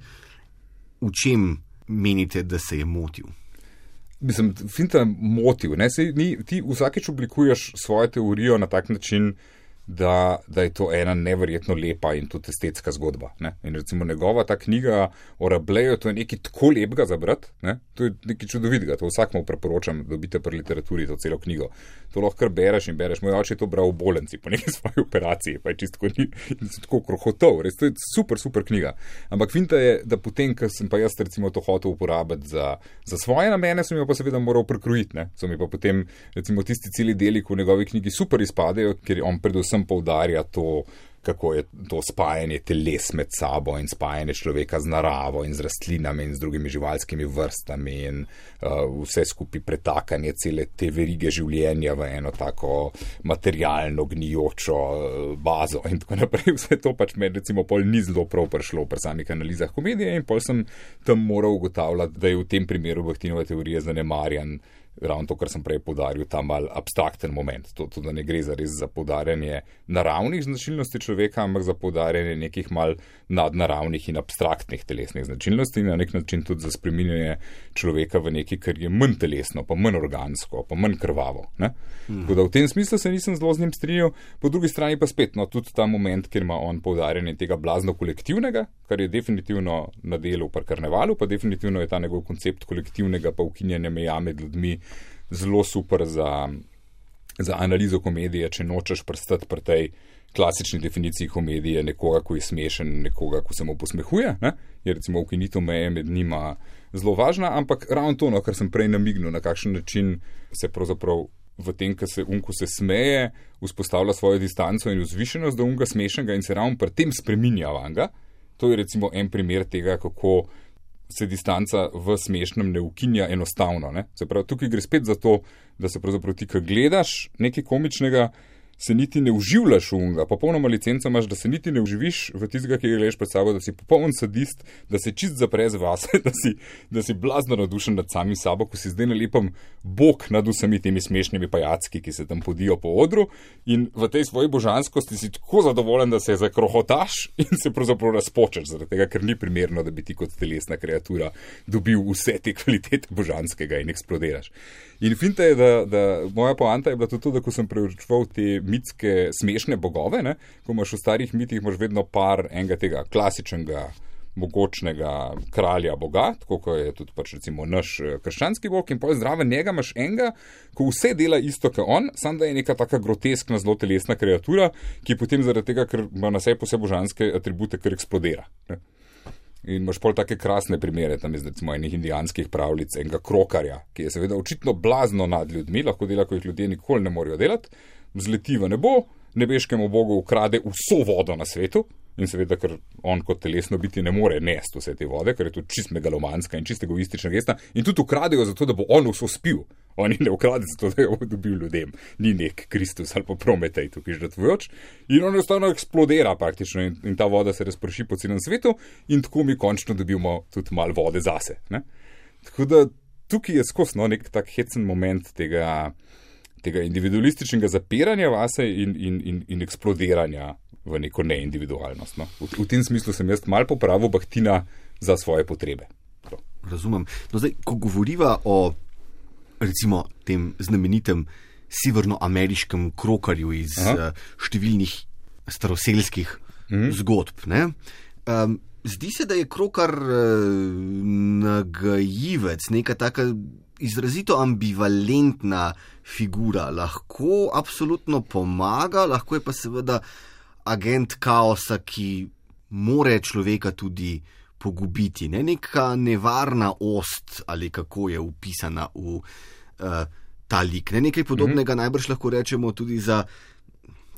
V čem menite, da se je motil? Mislim, finta motiv. Ne? Ti vsakeč oblikuješ svojo teorijo na tak način, da je to ena neverjetno lepa in tudi estetska zgodba. Ne? In recimo njegova ta knjiga o Rabeleju, to je nekaj tako lepega za brati, ne? To je nekaj čudovitega, to vsakmu preporočam, dobite pri literaturi to celo knjigo. To lahko kar bereš in bereš. Moj oče je to bral v bolnici po neki svoji operaciji, pa je čisto tako krohotov, res to je super, super knjiga. Ampak finta je, da potem, ko sem pa jaz recimo to hotel uporabiti za svoje namene, sem jo pa seveda moral prekrojiti, ne? So mi pa potem recimo tisti celi deli, ko v njegovi knjigi super izpadejo, ker on predvsem poudarja to, kako je to spajanje teles med sabo in spajanje človeka z naravo in z rastlinami in z drugimi živalskimi vrstami in vse skupaj pretakanje cele te verige življenja v eno tako materialno gnijočo bazo in tako naprej. Vse to pač me recimo pol ni zelo prav prišlo pri samih analizah komedije in pol sem tam moral ugotavljati, da je v tem primeru Bahtinove teorije zanemarjan ravno to, kar sem prej poudaril, ta mal abstrakten moment. To, da ne gre res za poudarjanje naravnih značilnosti človeka, ampak za poudarjanje nekih mal nadnaravnih in abstraktnih telesnih značilnosti in na nek način tudi za spreminjanje človeka v nekaj, kar je manj telesno, pa manj organsko, pa manj krvavo. Ne? Tako da v tem smislu se nisem zelo z njim strinjal, po drugi strani pa spet, tudi ta moment, kjer ima on poudarjanje tega blazno kolektivnega, kar je definitivno na delu pri karnevalu, pa definitivno je ta njegov koncept kolektivnega pa ukinjanja meja med ljudmi zelo super za analizo komedije, če nočeš prstati pri tej klasični definiciji komedije nekoga, ko je smešen, nekoga, ko se mu posmehuje, ne? Je recimo ukinitev meje med njima zelo važna, ampak ravno to, kar sem prej namignil, na kakšen način se pravzaprav v tem, ko se smeje, vzpostavlja svojo distanco in vzvišenost do unga smešnega in se ravno pri tem spreminja vanga. To je recimo en primer tega, kako se distanca v smešnem ne ukinja enostavno. Ne? Se pravi, tukaj gre spet za to, da se pravzaprav ti, ko gledaš nekaj komičnega, se niti ne uživljaš v unga, popolnoma licenco imaš, da se niti ne uživiš v tistega, ki ga gledaš pred sabo, da si popoln sadist, da se čist zaprez vase, da si blazno navdušen nad samim sabo, ko si zdaj na lepem bok nad vsemi temi smešnimi pajacki, ki se tam podijo po odru in v tej svoji božanskosti si tako zadovoljen, da se zakrohotaš in se pravzaprav razpočeš, zaradi tega, ker ni primerno, da bi ti kot telesna kreatura dobil vse te kvalitete božanskega in eksplodiraš. In finta je, da moja poanta je bila tudi to, da ko sem preučeval te mitske smešne bogove, ne, ko imaš v starih mitih, imaš vedno par enega tega klasičnega, mogočnega kralja boga, tako kot je tudi pač recimo naš krščanski bog, in potem zraven njega imaš enega, ko vse dela isto kot on, samo da je neka taka groteskna, zelo telesna kreatura, ki potem zaradi tega, ker ima na sebi vse božanske atribute, ker eksplodira. Ne. In imaš pol take krasne primere, tam iz recimo enih indijanskih pravljic, enega krokarja, ki je seveda očitno blazno nad ljudmi, lahko dela, ko jih ljudje nikoli ne morejo delati, vzleti v nebo, nebeškemu bogu ukrade vso vodo na svetu in seveda, ker on kot telesno biti ne more nesti vse te vode, ker je to čist megalomanska in čist egoistična gesta in tudi ukradejo zato, da bo on vso spil. Oni ne ukrade zato, da jo bo dobil ljudem. Ni nek Kristus ali pa Prometej tukaj žrtvujoč. In on enostavno eksplodira praktično in ta voda se razprši po celem svetu in tako mi končno dobimo tudi malo vode zase. Ne? Tako da tukaj je skosno nek tak hecen moment tega individualističnega zapiranja vase in eksplodiranja v neko neindividualnost. No. V tem smislu sem jaz malo popravil Bahtina za svoje potrebe. To. Razumem. No zdaj, ko govoriva o recimo tem znamenitem severnoameriškem krokarju iz številnih staroselskih zgodb, ne? Zdi se, da je krokar nagajivec, neka taka izrazito ambivalentna figura. Lahko absolutno pomaga, lahko je pa seveda agent kaosa, ki more človeka tudi pogubiti. Ne? Neka nevarna ost, ali kako je upisana v ta lik. Ne? Nekaj podobnega najbrž lahko rečemo tudi za,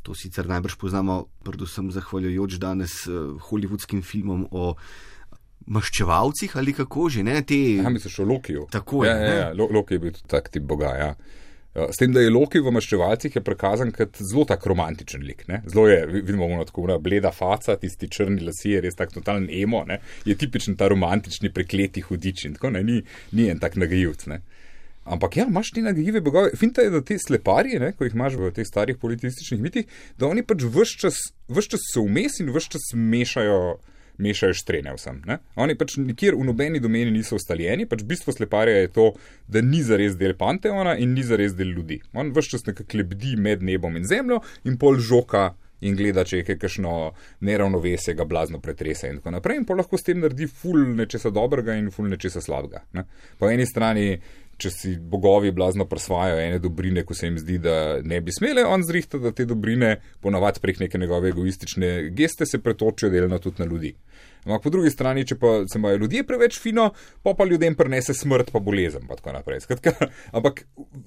to sicer najbrž poznamo, predvsem zahvaljujoč danes hollywoodskim filmom o maščevalcih ali kako že, ne? Misliš o Lokiju? Tako je. Ja, Loki je bil tudi tak tip boga, ja. S tem, da je Loki v maščevalcih je prikazan kot zelo tak romantičen lik, ne. Zelo je, vidimo ono tako bleda faca, tisti črni lasje, je res tak totalen emo, ne. Je tipičen ta romantični prekleti hudič in tako, ne. Ni en tak nagajivc, ne. Ampak ja, imaš ti nagajive bogove. Finta je, da te sleparje, ne, ko jih imaš v teh starih politističnih mitih, da oni pač ves čas so vmes in ves čas mešajo štrene vsem. Ne? Oni pač nikjer v nobeni domeni niso ustaljeni, pač bistvo sleparja je to, da ni zares del panteona in ni zares del ljudi. On ves čas nekako lebdi med nebom in zemljo in pol žoka in gleda, če je kakšno neravnovesje, ga blazno pretrese in tako naprej. In pol lahko s tem naredi ful nečesa dobrega in ful nečesa slabega. Ne? Po eni strani, če si bogovi blazno presvajajo ene dobrine, ko se jim zdi, da ne bi smele, on zrihta, da te dobrine ponavadi prek neke njegove egoistične geste se pretočijo delno tudi na ljudi. Ampak po drugi strani, če pa se imajo ljudje preveč fino, pa ljudem prinese smrt pa bolezen pa tako naprej. Skratka, ampak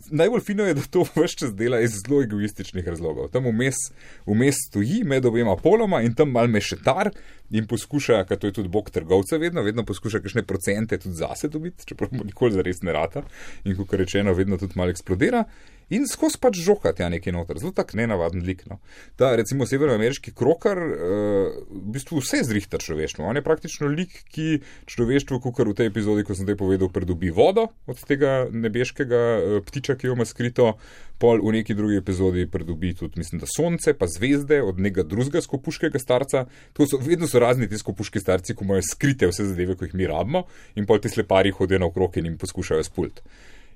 najbolj fino je, da to ves čas dela iz zelo egoističnih razlogov. Tam vmes stoji med obema poloma in tam mal mešetar in poskuša, ker to je tudi bog trgovca vedno poskuša kakšne procente tudi zase dobiti, čeprav mu nikoli zares ne rata in kot rečeno vedno tudi malo eksplodira. in skozi pač žokati nekaj noter. Zelo tak nenavaden lik. No. Ta recimo severnoameriški krokar v bistvu vse zrihta človeštvo. On je praktično lik, ki človeštvo, kakor v tej epizodi, ko sem zdaj povedal, pridobi vodo od tega nebeškega ptiča, ki jo ima skrito, pol v neki drugi epizodi pridobi tudi, mislim, da sonce, pa zvezde od nekega drugega skopuškega starca. Vedno so razni ti skopuški starci, ko imajo skrite vse zadeve, ko jih mi rabimo, in pol ti slepari hodijo naokrog in jim poskušajo spult.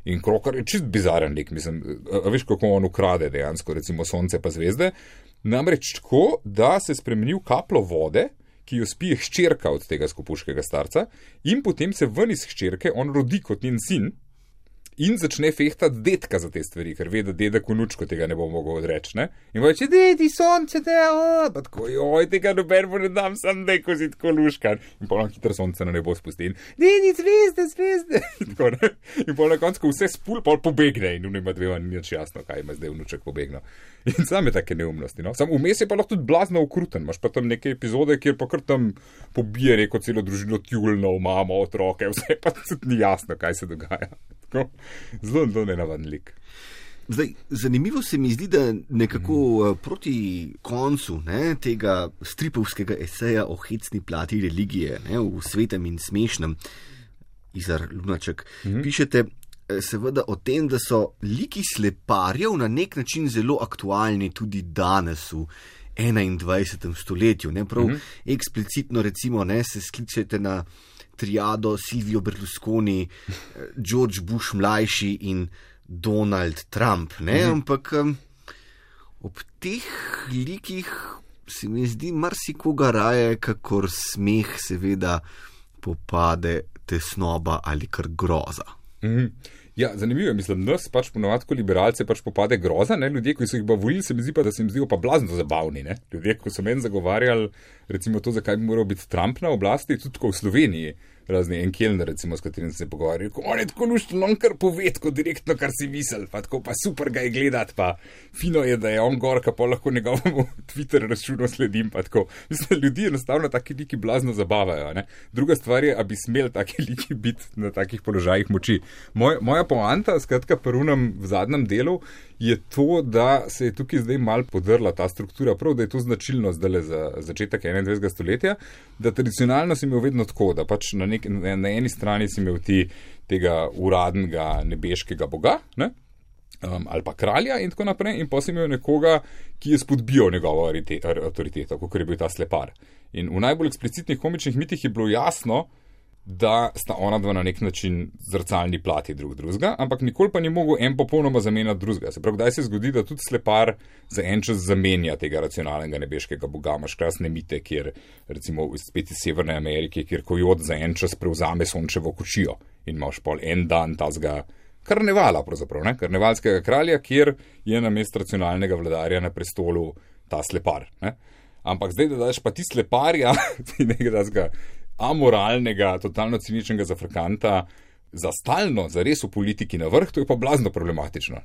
In krokar je čist bizaren lik, mislim, a veš, kako on ukrade dejansko, recimo sonce pa zvezde, namreč tako, da se spremeni v kaplo vode, ki jo spije hčerka od tega skopuškega starca, in potem se ven iz hčerke on rodi kot njen sin in začne fehtati dedka za te stvari, ker ve, da dedek vnučko tega ne bo mogel odreči, ne? In reče, dedi, sonce, pa tako, joj, tega noben bo ne dam, sam neko si tako luškan. In pol na hitro sonce na nebo spusti in, dedi, zvezde, in tako, ne? In pol na koncu vse spul, pol pobegne in nima dvema ni nič jasno, kaj ima zdaj vnuček pobegnil. In same take neumnosti, no? Sam vmes je pa lahko tudi blazno okruten, imaš pa tam neke epizode, kjer pa kar tam pobije neko celo družino tjulnov, mamo, otroke, vse pa tudi ni jasno, kaj se dogaja. Zelo nenavaden lik. Zdaj, zanimivo se mi zdi, da nekako proti koncu tega stripovskega eseja o hecni plati religije, v svetem in smešnem, Izar Lunaček, pišete seveda o tem, da so liki sleparjev na nek način zelo aktualni tudi danes v 21. stoletju. Prav eksplicitno recimo se sklicujete na triado Silvio Berlusconi, George Bush mlajši in Donald Trump. Ampak ob teh likih se mi zdi marsikoga raje, kakor smeh seveda popade tesnoba ali kar groza. Ja, zanimivo je, mislim, nas pač ponovadi, ko liberalce pač popade groza, ljudje, ki so jih pa volili, se mi zdi pa, da se jim zdijo pa blazno zabavni, Ljudje, ko so meni zagovarjali, recimo to, zakaj bi moral biti Trump na oblasti, tudi ko v Sloveniji, razni en Kellner, recimo, s katerim se pogovarjali, on je tako lušten, on kar pove, tako direktno, kar si misel, pa tako pa super ga je gledati, pa fino je, da je on gorka, pa lahko njegovemu Twitter računu sledim, pa tako. Mislim, ljudi enostavno taki liki blazno zabavajo, Druga stvar je, a bi smel taki liki biti na takih položajih moči. Moja poanta, skratka, prvunem v zadnjem delu, je to, da se je tukaj zdaj mal podrla ta struktura, prav, da je to značilno zdaj za začetek 21. stoletja, da tradicionalno si imel vedno tako, da pač na eni strani si imel tega uradnega nebeškega boga, ali pa kralja in tako naprej, in pa si imel nekoga, ki je spodbijal njegovo avtoriteto, kot je bil ta slepar. In v najbolj eksplicitnih komičnih mitih je bilo jasno, da sta ona dva na nek način zrcalni plati drugega, ampak nikoli pa ni mogel en popolnoma zamenjati drugega. Se pravi, kdaj se zgodi, da tudi slepar za en čas zamenja tega racionalnega nebeškega boga. Imaš krasne mite, kjer recimo spet iz Severne Amerike, kjer kojot za en čas prevzame sončevo kočijo in imaš pol en dan tazga karnevala pravzaprav, karnevalskega kralja, kjer je namesto racionalnega vladarja na prestolu ta slepar. Ampak zdaj, da daš pa ti sleparja, ti nekaj tazga amoralnega, totalno ciničnega zafrkanta za stalno, za res v politiki na vrh, to je pa blazno problematično.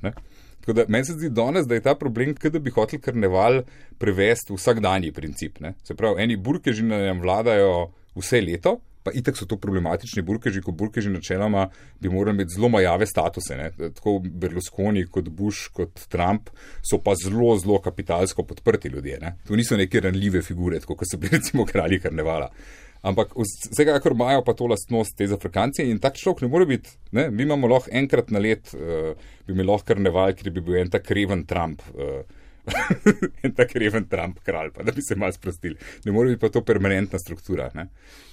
Tako da meni se zdi danes, da je ta problem, da bi hotel karneval prevesti v vsakdanji princip. Se pravi, eni burkeži nam vladajo vse leto, pa itak so to problematični burkeži, ko burkeži načeloma bi morali imeti zelo majave statuse. Tako Berlusconi kot Bush kot Trump so pa zelo, zelo kapitalsko podprti ljudje. To niso neke ranljive figure, tako kot so bili recimo kralji karnevala. Ampak vsekakor imajo pa to lastnost te zafrkancije in tak človek ne more biti, mi imamo lahko enkrat na let, bi imel lahko karneval, kjer bi bil en tak reven Trump, en tak reven Trump kralj, pa da bi se malo sprostili. Ne more biti pa to permanentna struktura.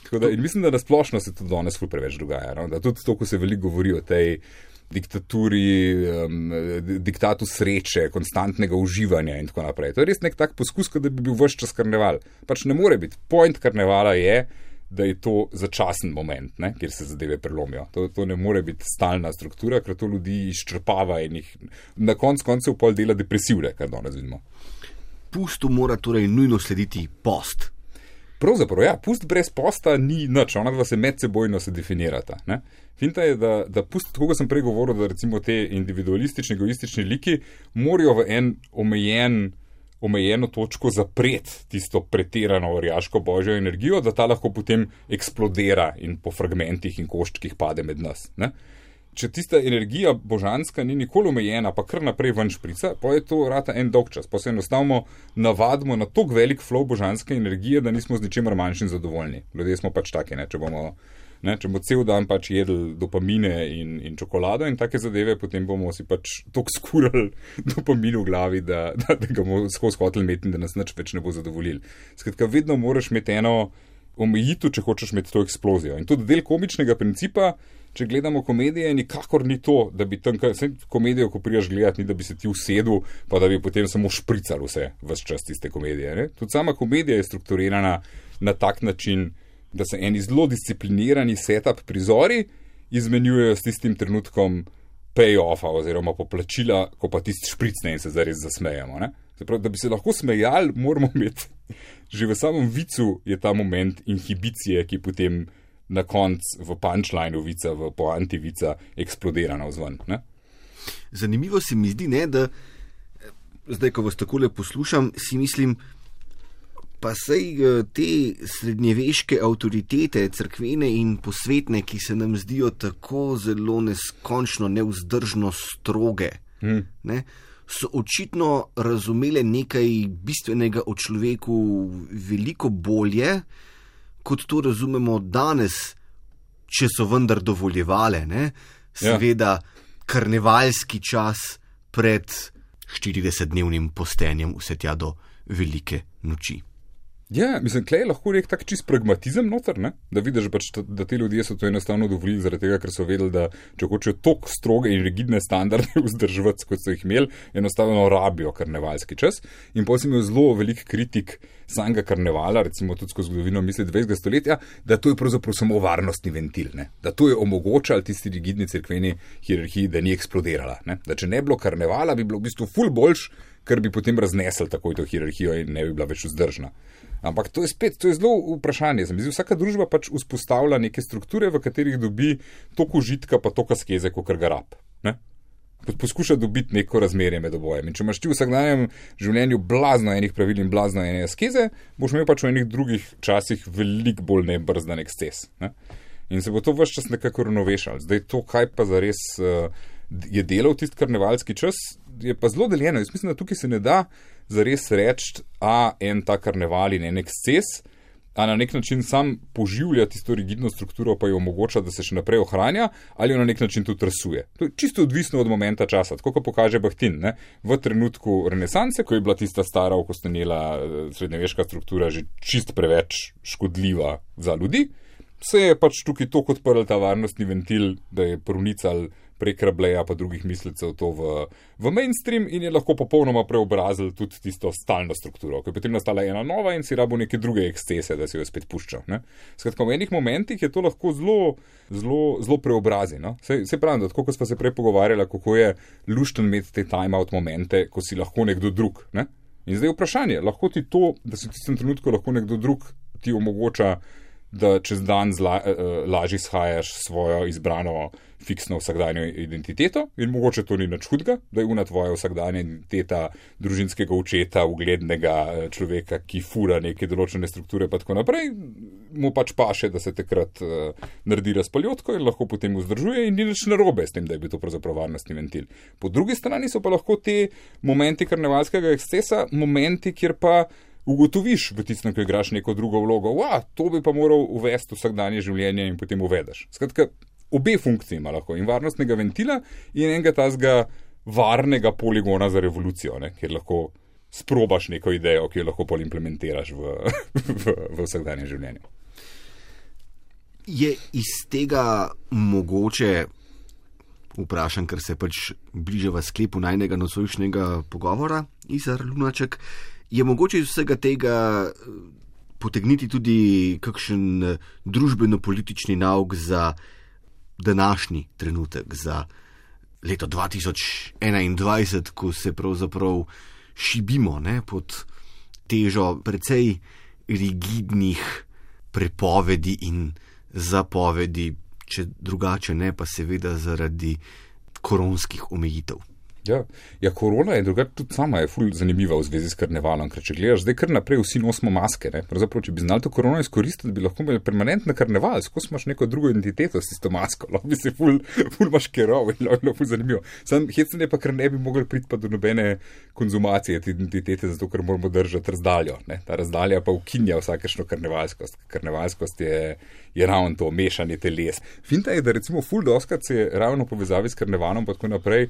Tako da, in mislim, da nasplošno se to danes ful preveč dogaja, da tudi to, ko se veliko govori o tej diktaturi, diktatu sreče, konstantnega uživanja in tako naprej. To je res nek tak poskus, da bi bil ves čas karneval. Pač ne more biti. Point karnevala je, da je to začasen moment, kjer se zadeve prelomijo. To ne more biti stalna struktura, ker to ljudi izčrpava in jih na koncu pol dela depresivne, kar danes vidimo. Pustu mora torej nujno slediti post. Pravzaprav, ja, pust brez posta ni nič, ona dva se medsebojno se definirata. Finta je, da pust, tako kot sem prej govoril, da recimo te individualistični, egoistični liki morajo v en omejeno točko zapreti tisto pretirano orjaško božjo energijo, da ta lahko potem eksplodira in po fragmentih in koščkih pade med nas. če tista energija božanska ni nikoli omejena, pa kar naprej ven šprica, pa je to rata en dolg čas. Pa se enostavno navadimo na tok velik flow božanske energije, da nismo z ničemer manjšim zadovoljni. Ljudje smo pač taki, če bomo cel dan pač jedli dopamine in čokolado in take zadeve, potem bomo si pač tok skurali dopamin v glavi, da ga bomo skozi hotel imeti in da nas nič več ne bo zadovoljil. Skratka, vedno moraš imeti eno omejitev, če hočeš imeti to eksplozijo. In tudi del komičnega principa, če gledamo komedije, nikakor ni to, da bi tam, komedijo, ko prijaš gledati, ni da bi se ti usedel, pa da bi potem samo šprical ves čas tiste komedije. Ne? Tudi sama komedija je strukturirana na tak način, da se eni zelo disciplinirani setup prizori izmenjujejo s tistim trenutkom pay-offa oziroma poplačila, ko pa tisti špricne in se zares zasmejamo. Ne? Zaprav, da bi se lahko smejali, moramo imeti, že v samem vicu je ta moment inhibicije, ki potem na koncu v punchline vica, v poanti vica eksplodira navzven. Ne? Zanimivo se mi zdi, da zdaj, ko vas takole poslušam, si mislim, pa sej te srednjeveške avtoritete, cerkvene in posvetne, ki se nam zdijo tako zelo neskončno nevzdržno stroge, ne, so očitno razumele nekaj bistvenega o človeku veliko bolje, kot to razumemo danes, če so vendar dovoljevale, ne? Seveda karnevalski čas pred 40-dnevnim postenjem vse tja do velike noči. Ja, mislim, klej lahko rekel tak čist pragmatizem noter, ne? Da vidiš pač, da te ljudje so to enostavno dovolili zaradi tega, ker so vedeli, da če hočejo toliko stroge in rigidne standarde vzdrževati, kot so jih imeli, enostavno rabijo karnevalski čas. In potem sem imel zelo velik kritik samega karnevala, recimo tudi skozi zgodovino misli 20. stoletja, da to je pravzaprav samo varnostni ventil, ne? Da to je omogočalo tisti rigidni cerkveni hierarhiji, da ni eksplodirala, ne? Da če ne bilo karnevala, bi bilo v bistvu ful boljš, ker bi potem raznesel takoj to hierarhijo in ne bi bila več vzdržna. Ampak to je zelo vprašanje. Vsaka družba pač vzpostavlja neke strukture, v katerih dobi toliko užitka pa toliko askeze, kakor ga rab. Ne? Poskuša dobiti neko razmerje med obojem. In če imaš ti v vsakdanjem življenju blazno enih pravil in blazno ene askeze, boš imel pač v enih drugih časih veliko bolj nebrzdan eksces. Ne? In se bo to ves čas nekako ravnovešalo. Zdaj to, kaj pa zares je delal tisti karnevalski čas, je pa zelo deljeno. Jaz mislim, da tukaj se ne da zares reči, en ta karneval in en eksces, a na nek način sam poživlja tisto rigidno strukturo, pa jo omogoča, da se še naprej ohranja, ali jo na nek način tudi rasuje. To je čisto odvisno od momenta časa, tako kot pokaže Bakhtin. Ne? V trenutku renesanse, ko je bila tista stara okostenela srednjeveška struktura že čist preveč škodljiva za ljudi, se je pač tukaj toliko odprl ta varnostni ventil, da je pronical prek Rabeleja pa drugih mislecev to v mainstream in je lahko popolnoma preobrazil tudi tisto stalno strukturo, ko je potem nastala ena nova in si rabo neke druge ekscese, da si jo spet puščal. Ne? Skratka, v enih momentih je to lahko zelo preobrazi. No? Se pravim, da tako, ko smo se prej pogovarjali, kako je lušten imeti te time-out momente, ko si lahko nekdo drug. Ne? In zdaj vprašanje, lahko ti to, da si v tistem trenutku lahko nekdo drug, ti omogoča, da čez dan lažje shajaš svojo izbrano fiksno vsakdanjo identiteto in mogoče to ni nič hudega, da je una tvoja vsakdanja identiteta družinskega očeta, uglednega človeka, ki fura neke določene strukture pa tako naprej, mu pač paše, da se takrat naredi razpaljotko in lahko potem vzdržuje in ni nič narobe s tem, da je bil to pravzaprav varnostni ventil. Po drugi strani so pa lahko te momenti karnevalskega ekscesa, momenti, kjer pa ugotoviš v tistem, ko igraš neko drugo vlogo, to bi pa moral uvesti vsakdanje življenje in potem uvedeš. Skratka, obe funkcije ima lahko in varnostnega ventila in enega tazga varnega poligona za revolucijo, ne, kjer lahko sprobaš neko idejo, ki jo lahko pol implementiraš v vsakdanje življenje. Je iz tega mogoče, vprašam, ker se pač bližava sklepu najnega nocojšnjega pogovora, Izar Lunaček, je mogoče iz vsega tega potegniti tudi kakšen družbeno-politični nauk za današnji trenutek, za leto 2021, ko se pravzaprav šibimo, ne, pod težo precej rigidnih prepovedi in zapovedi, če drugače ne, pa seveda zaradi koronskih omejitev. Ja, korona je drugače tudi sama je ful zanimiva v zvezi s karnevalom, ker če gledaš, zdaj kar naprej vsi nosimo maske, ne? Pravzaprav, če bi znali to korono izkoristiti, bi lahko imeli permanentno karneval, skozi imaš neko drugo identiteto s tisto masko, lahko bi se ful maškeral in lahko ful zanimivo. Sam hecen je pa, ker ne bi mogli priti pa do nobene konzumacije te identitete, zato ker moramo držati razdaljo, ne? Ta razdalja pa ukinja vsakršno karnevalskost. Karnevalskost je ravno to, mešanje teles. Finta je, da recimo ful doskrat se je ravno povezavi s karnevalom pa tako naprej,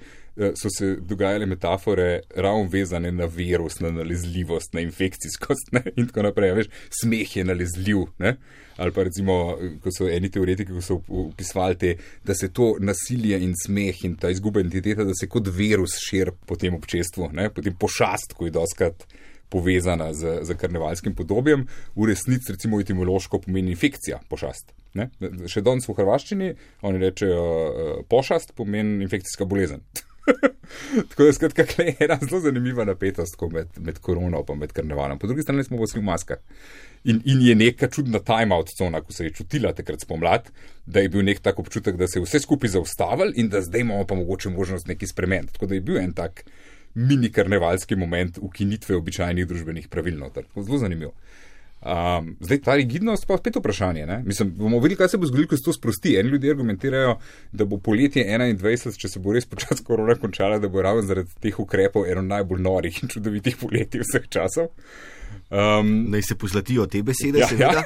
so se dogajale metafore ravno vezane na virus, na nalezljivost, na infekcijskost, ne? In tako naprej. Veš, smeh je nalezljiv, ne? Ali pa recimo, ko so eni teoretiki, ko so opisovali da se to nasilje in smeh in ta izguba identiteta, da se kot virus širi po tem občestvu, ne? Potem pošast, ko je doskrat povezana z karnevalskim podobjem, v resnici recimo etimološko pomeni infekcija, pošast. Ne? Še danes v hrvaščini oni rečejo pošast pomeni infekcijska bolezen. Tako da skratka je ena zelo zanimiva napetost med korono pa med karnevalom. Po drugi strani smo vsi v maskah. In je neka čudna time-out cona, ko se je čutila takrat spomlad, da je bil nek tak občutek, da se je vse skupaj zaustavili in da zdaj imamo pa mogoče možnost nekaj spremeniti. Tako da je bil en tak mini karnevalski moment ukinitve običajnih družbenih pravil noter. Zelo zanimivo. Zdaj ta rigidnost pa spet vprašanje. Ne? Mislim, bomo videli, kaj se bo zgodilo, ko se to sprosti. Eni ljudje argumentirajo, da bo poletje 21, če se bo res počas korona končala, da bo ravno zaradi teh ukrepov eno najbolj norih in čudovitih poletij vseh časov. Naj se pozlatijo te besede, seveda.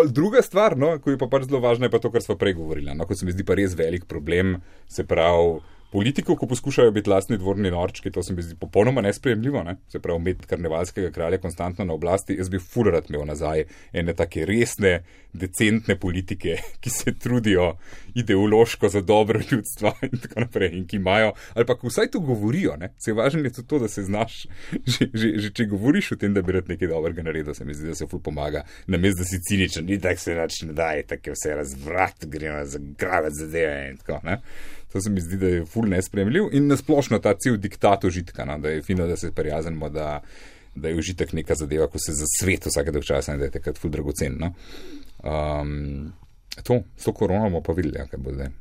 Druga stvar, no, ko je pa pač zelo važna, je pa to, kar sva prej govorila. No, ko se mi zdi pa res velik problem, se pravi, politikov, ko poskušajo biti lastni dvorni norčki, to se mi zdi popolnoma nesprejemljivo, ne? Se pravi, imeti karnevalskega kralja konstantno na oblasti, jaz bi ful rad imel nazaj ene take resne, decentne politike, ki se trudijo ideološko za dobro ljudstva in tako naprej, in ki imajo, ali pa vsaj to govorijo, ne? Se važno je to, da se znaš, že če govoriš o tem, da bi rad nekaj dobrega naredil, se mi zdi, da se ful pomaga, namesto da si ciničen, ni tak se nač ne daje, tako je vse razvrat, gremo zagravati zadeve in tako, ne? To se mi zdi, da je ful nesprejemljiv in nasplošno ta cel diktat užitka, no? Da je fino, da se prijaznimo, da je užitek neka zadeva, ko se za svet vsake dolg časa in da je takrat ful dragocen. No? S to korono bomo pa videli, kaj bo zdaj.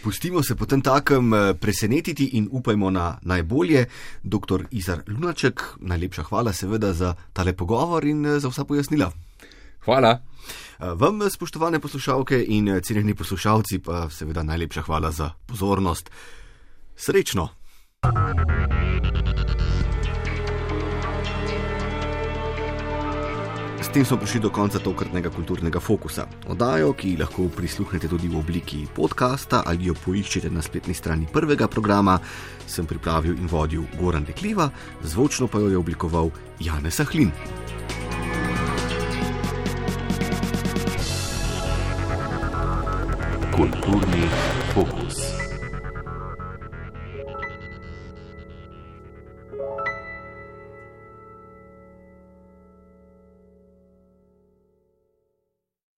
Pustimo se potem takem presenetiti in upajmo na najbolje. Dr. Izar Lunaček, najlepša hvala seveda za tale pogovor in za vsa pojasnila. Hvala. Vam, spoštovane poslušalke in cenjeni poslušalci, pa seveda najlepša hvala za pozornost. Srečno! S tem smo prišli do konca tokratnega kulturnega fokusa. Oddajo, ki lahko prisluhnete tudi v obliki podcasta ali jo poiščete na spletni strani prvega programa, sem pripravil in vodil Goran Dekliva, zvočno pa jo je oblikoval Janez Ahlin. Kulturni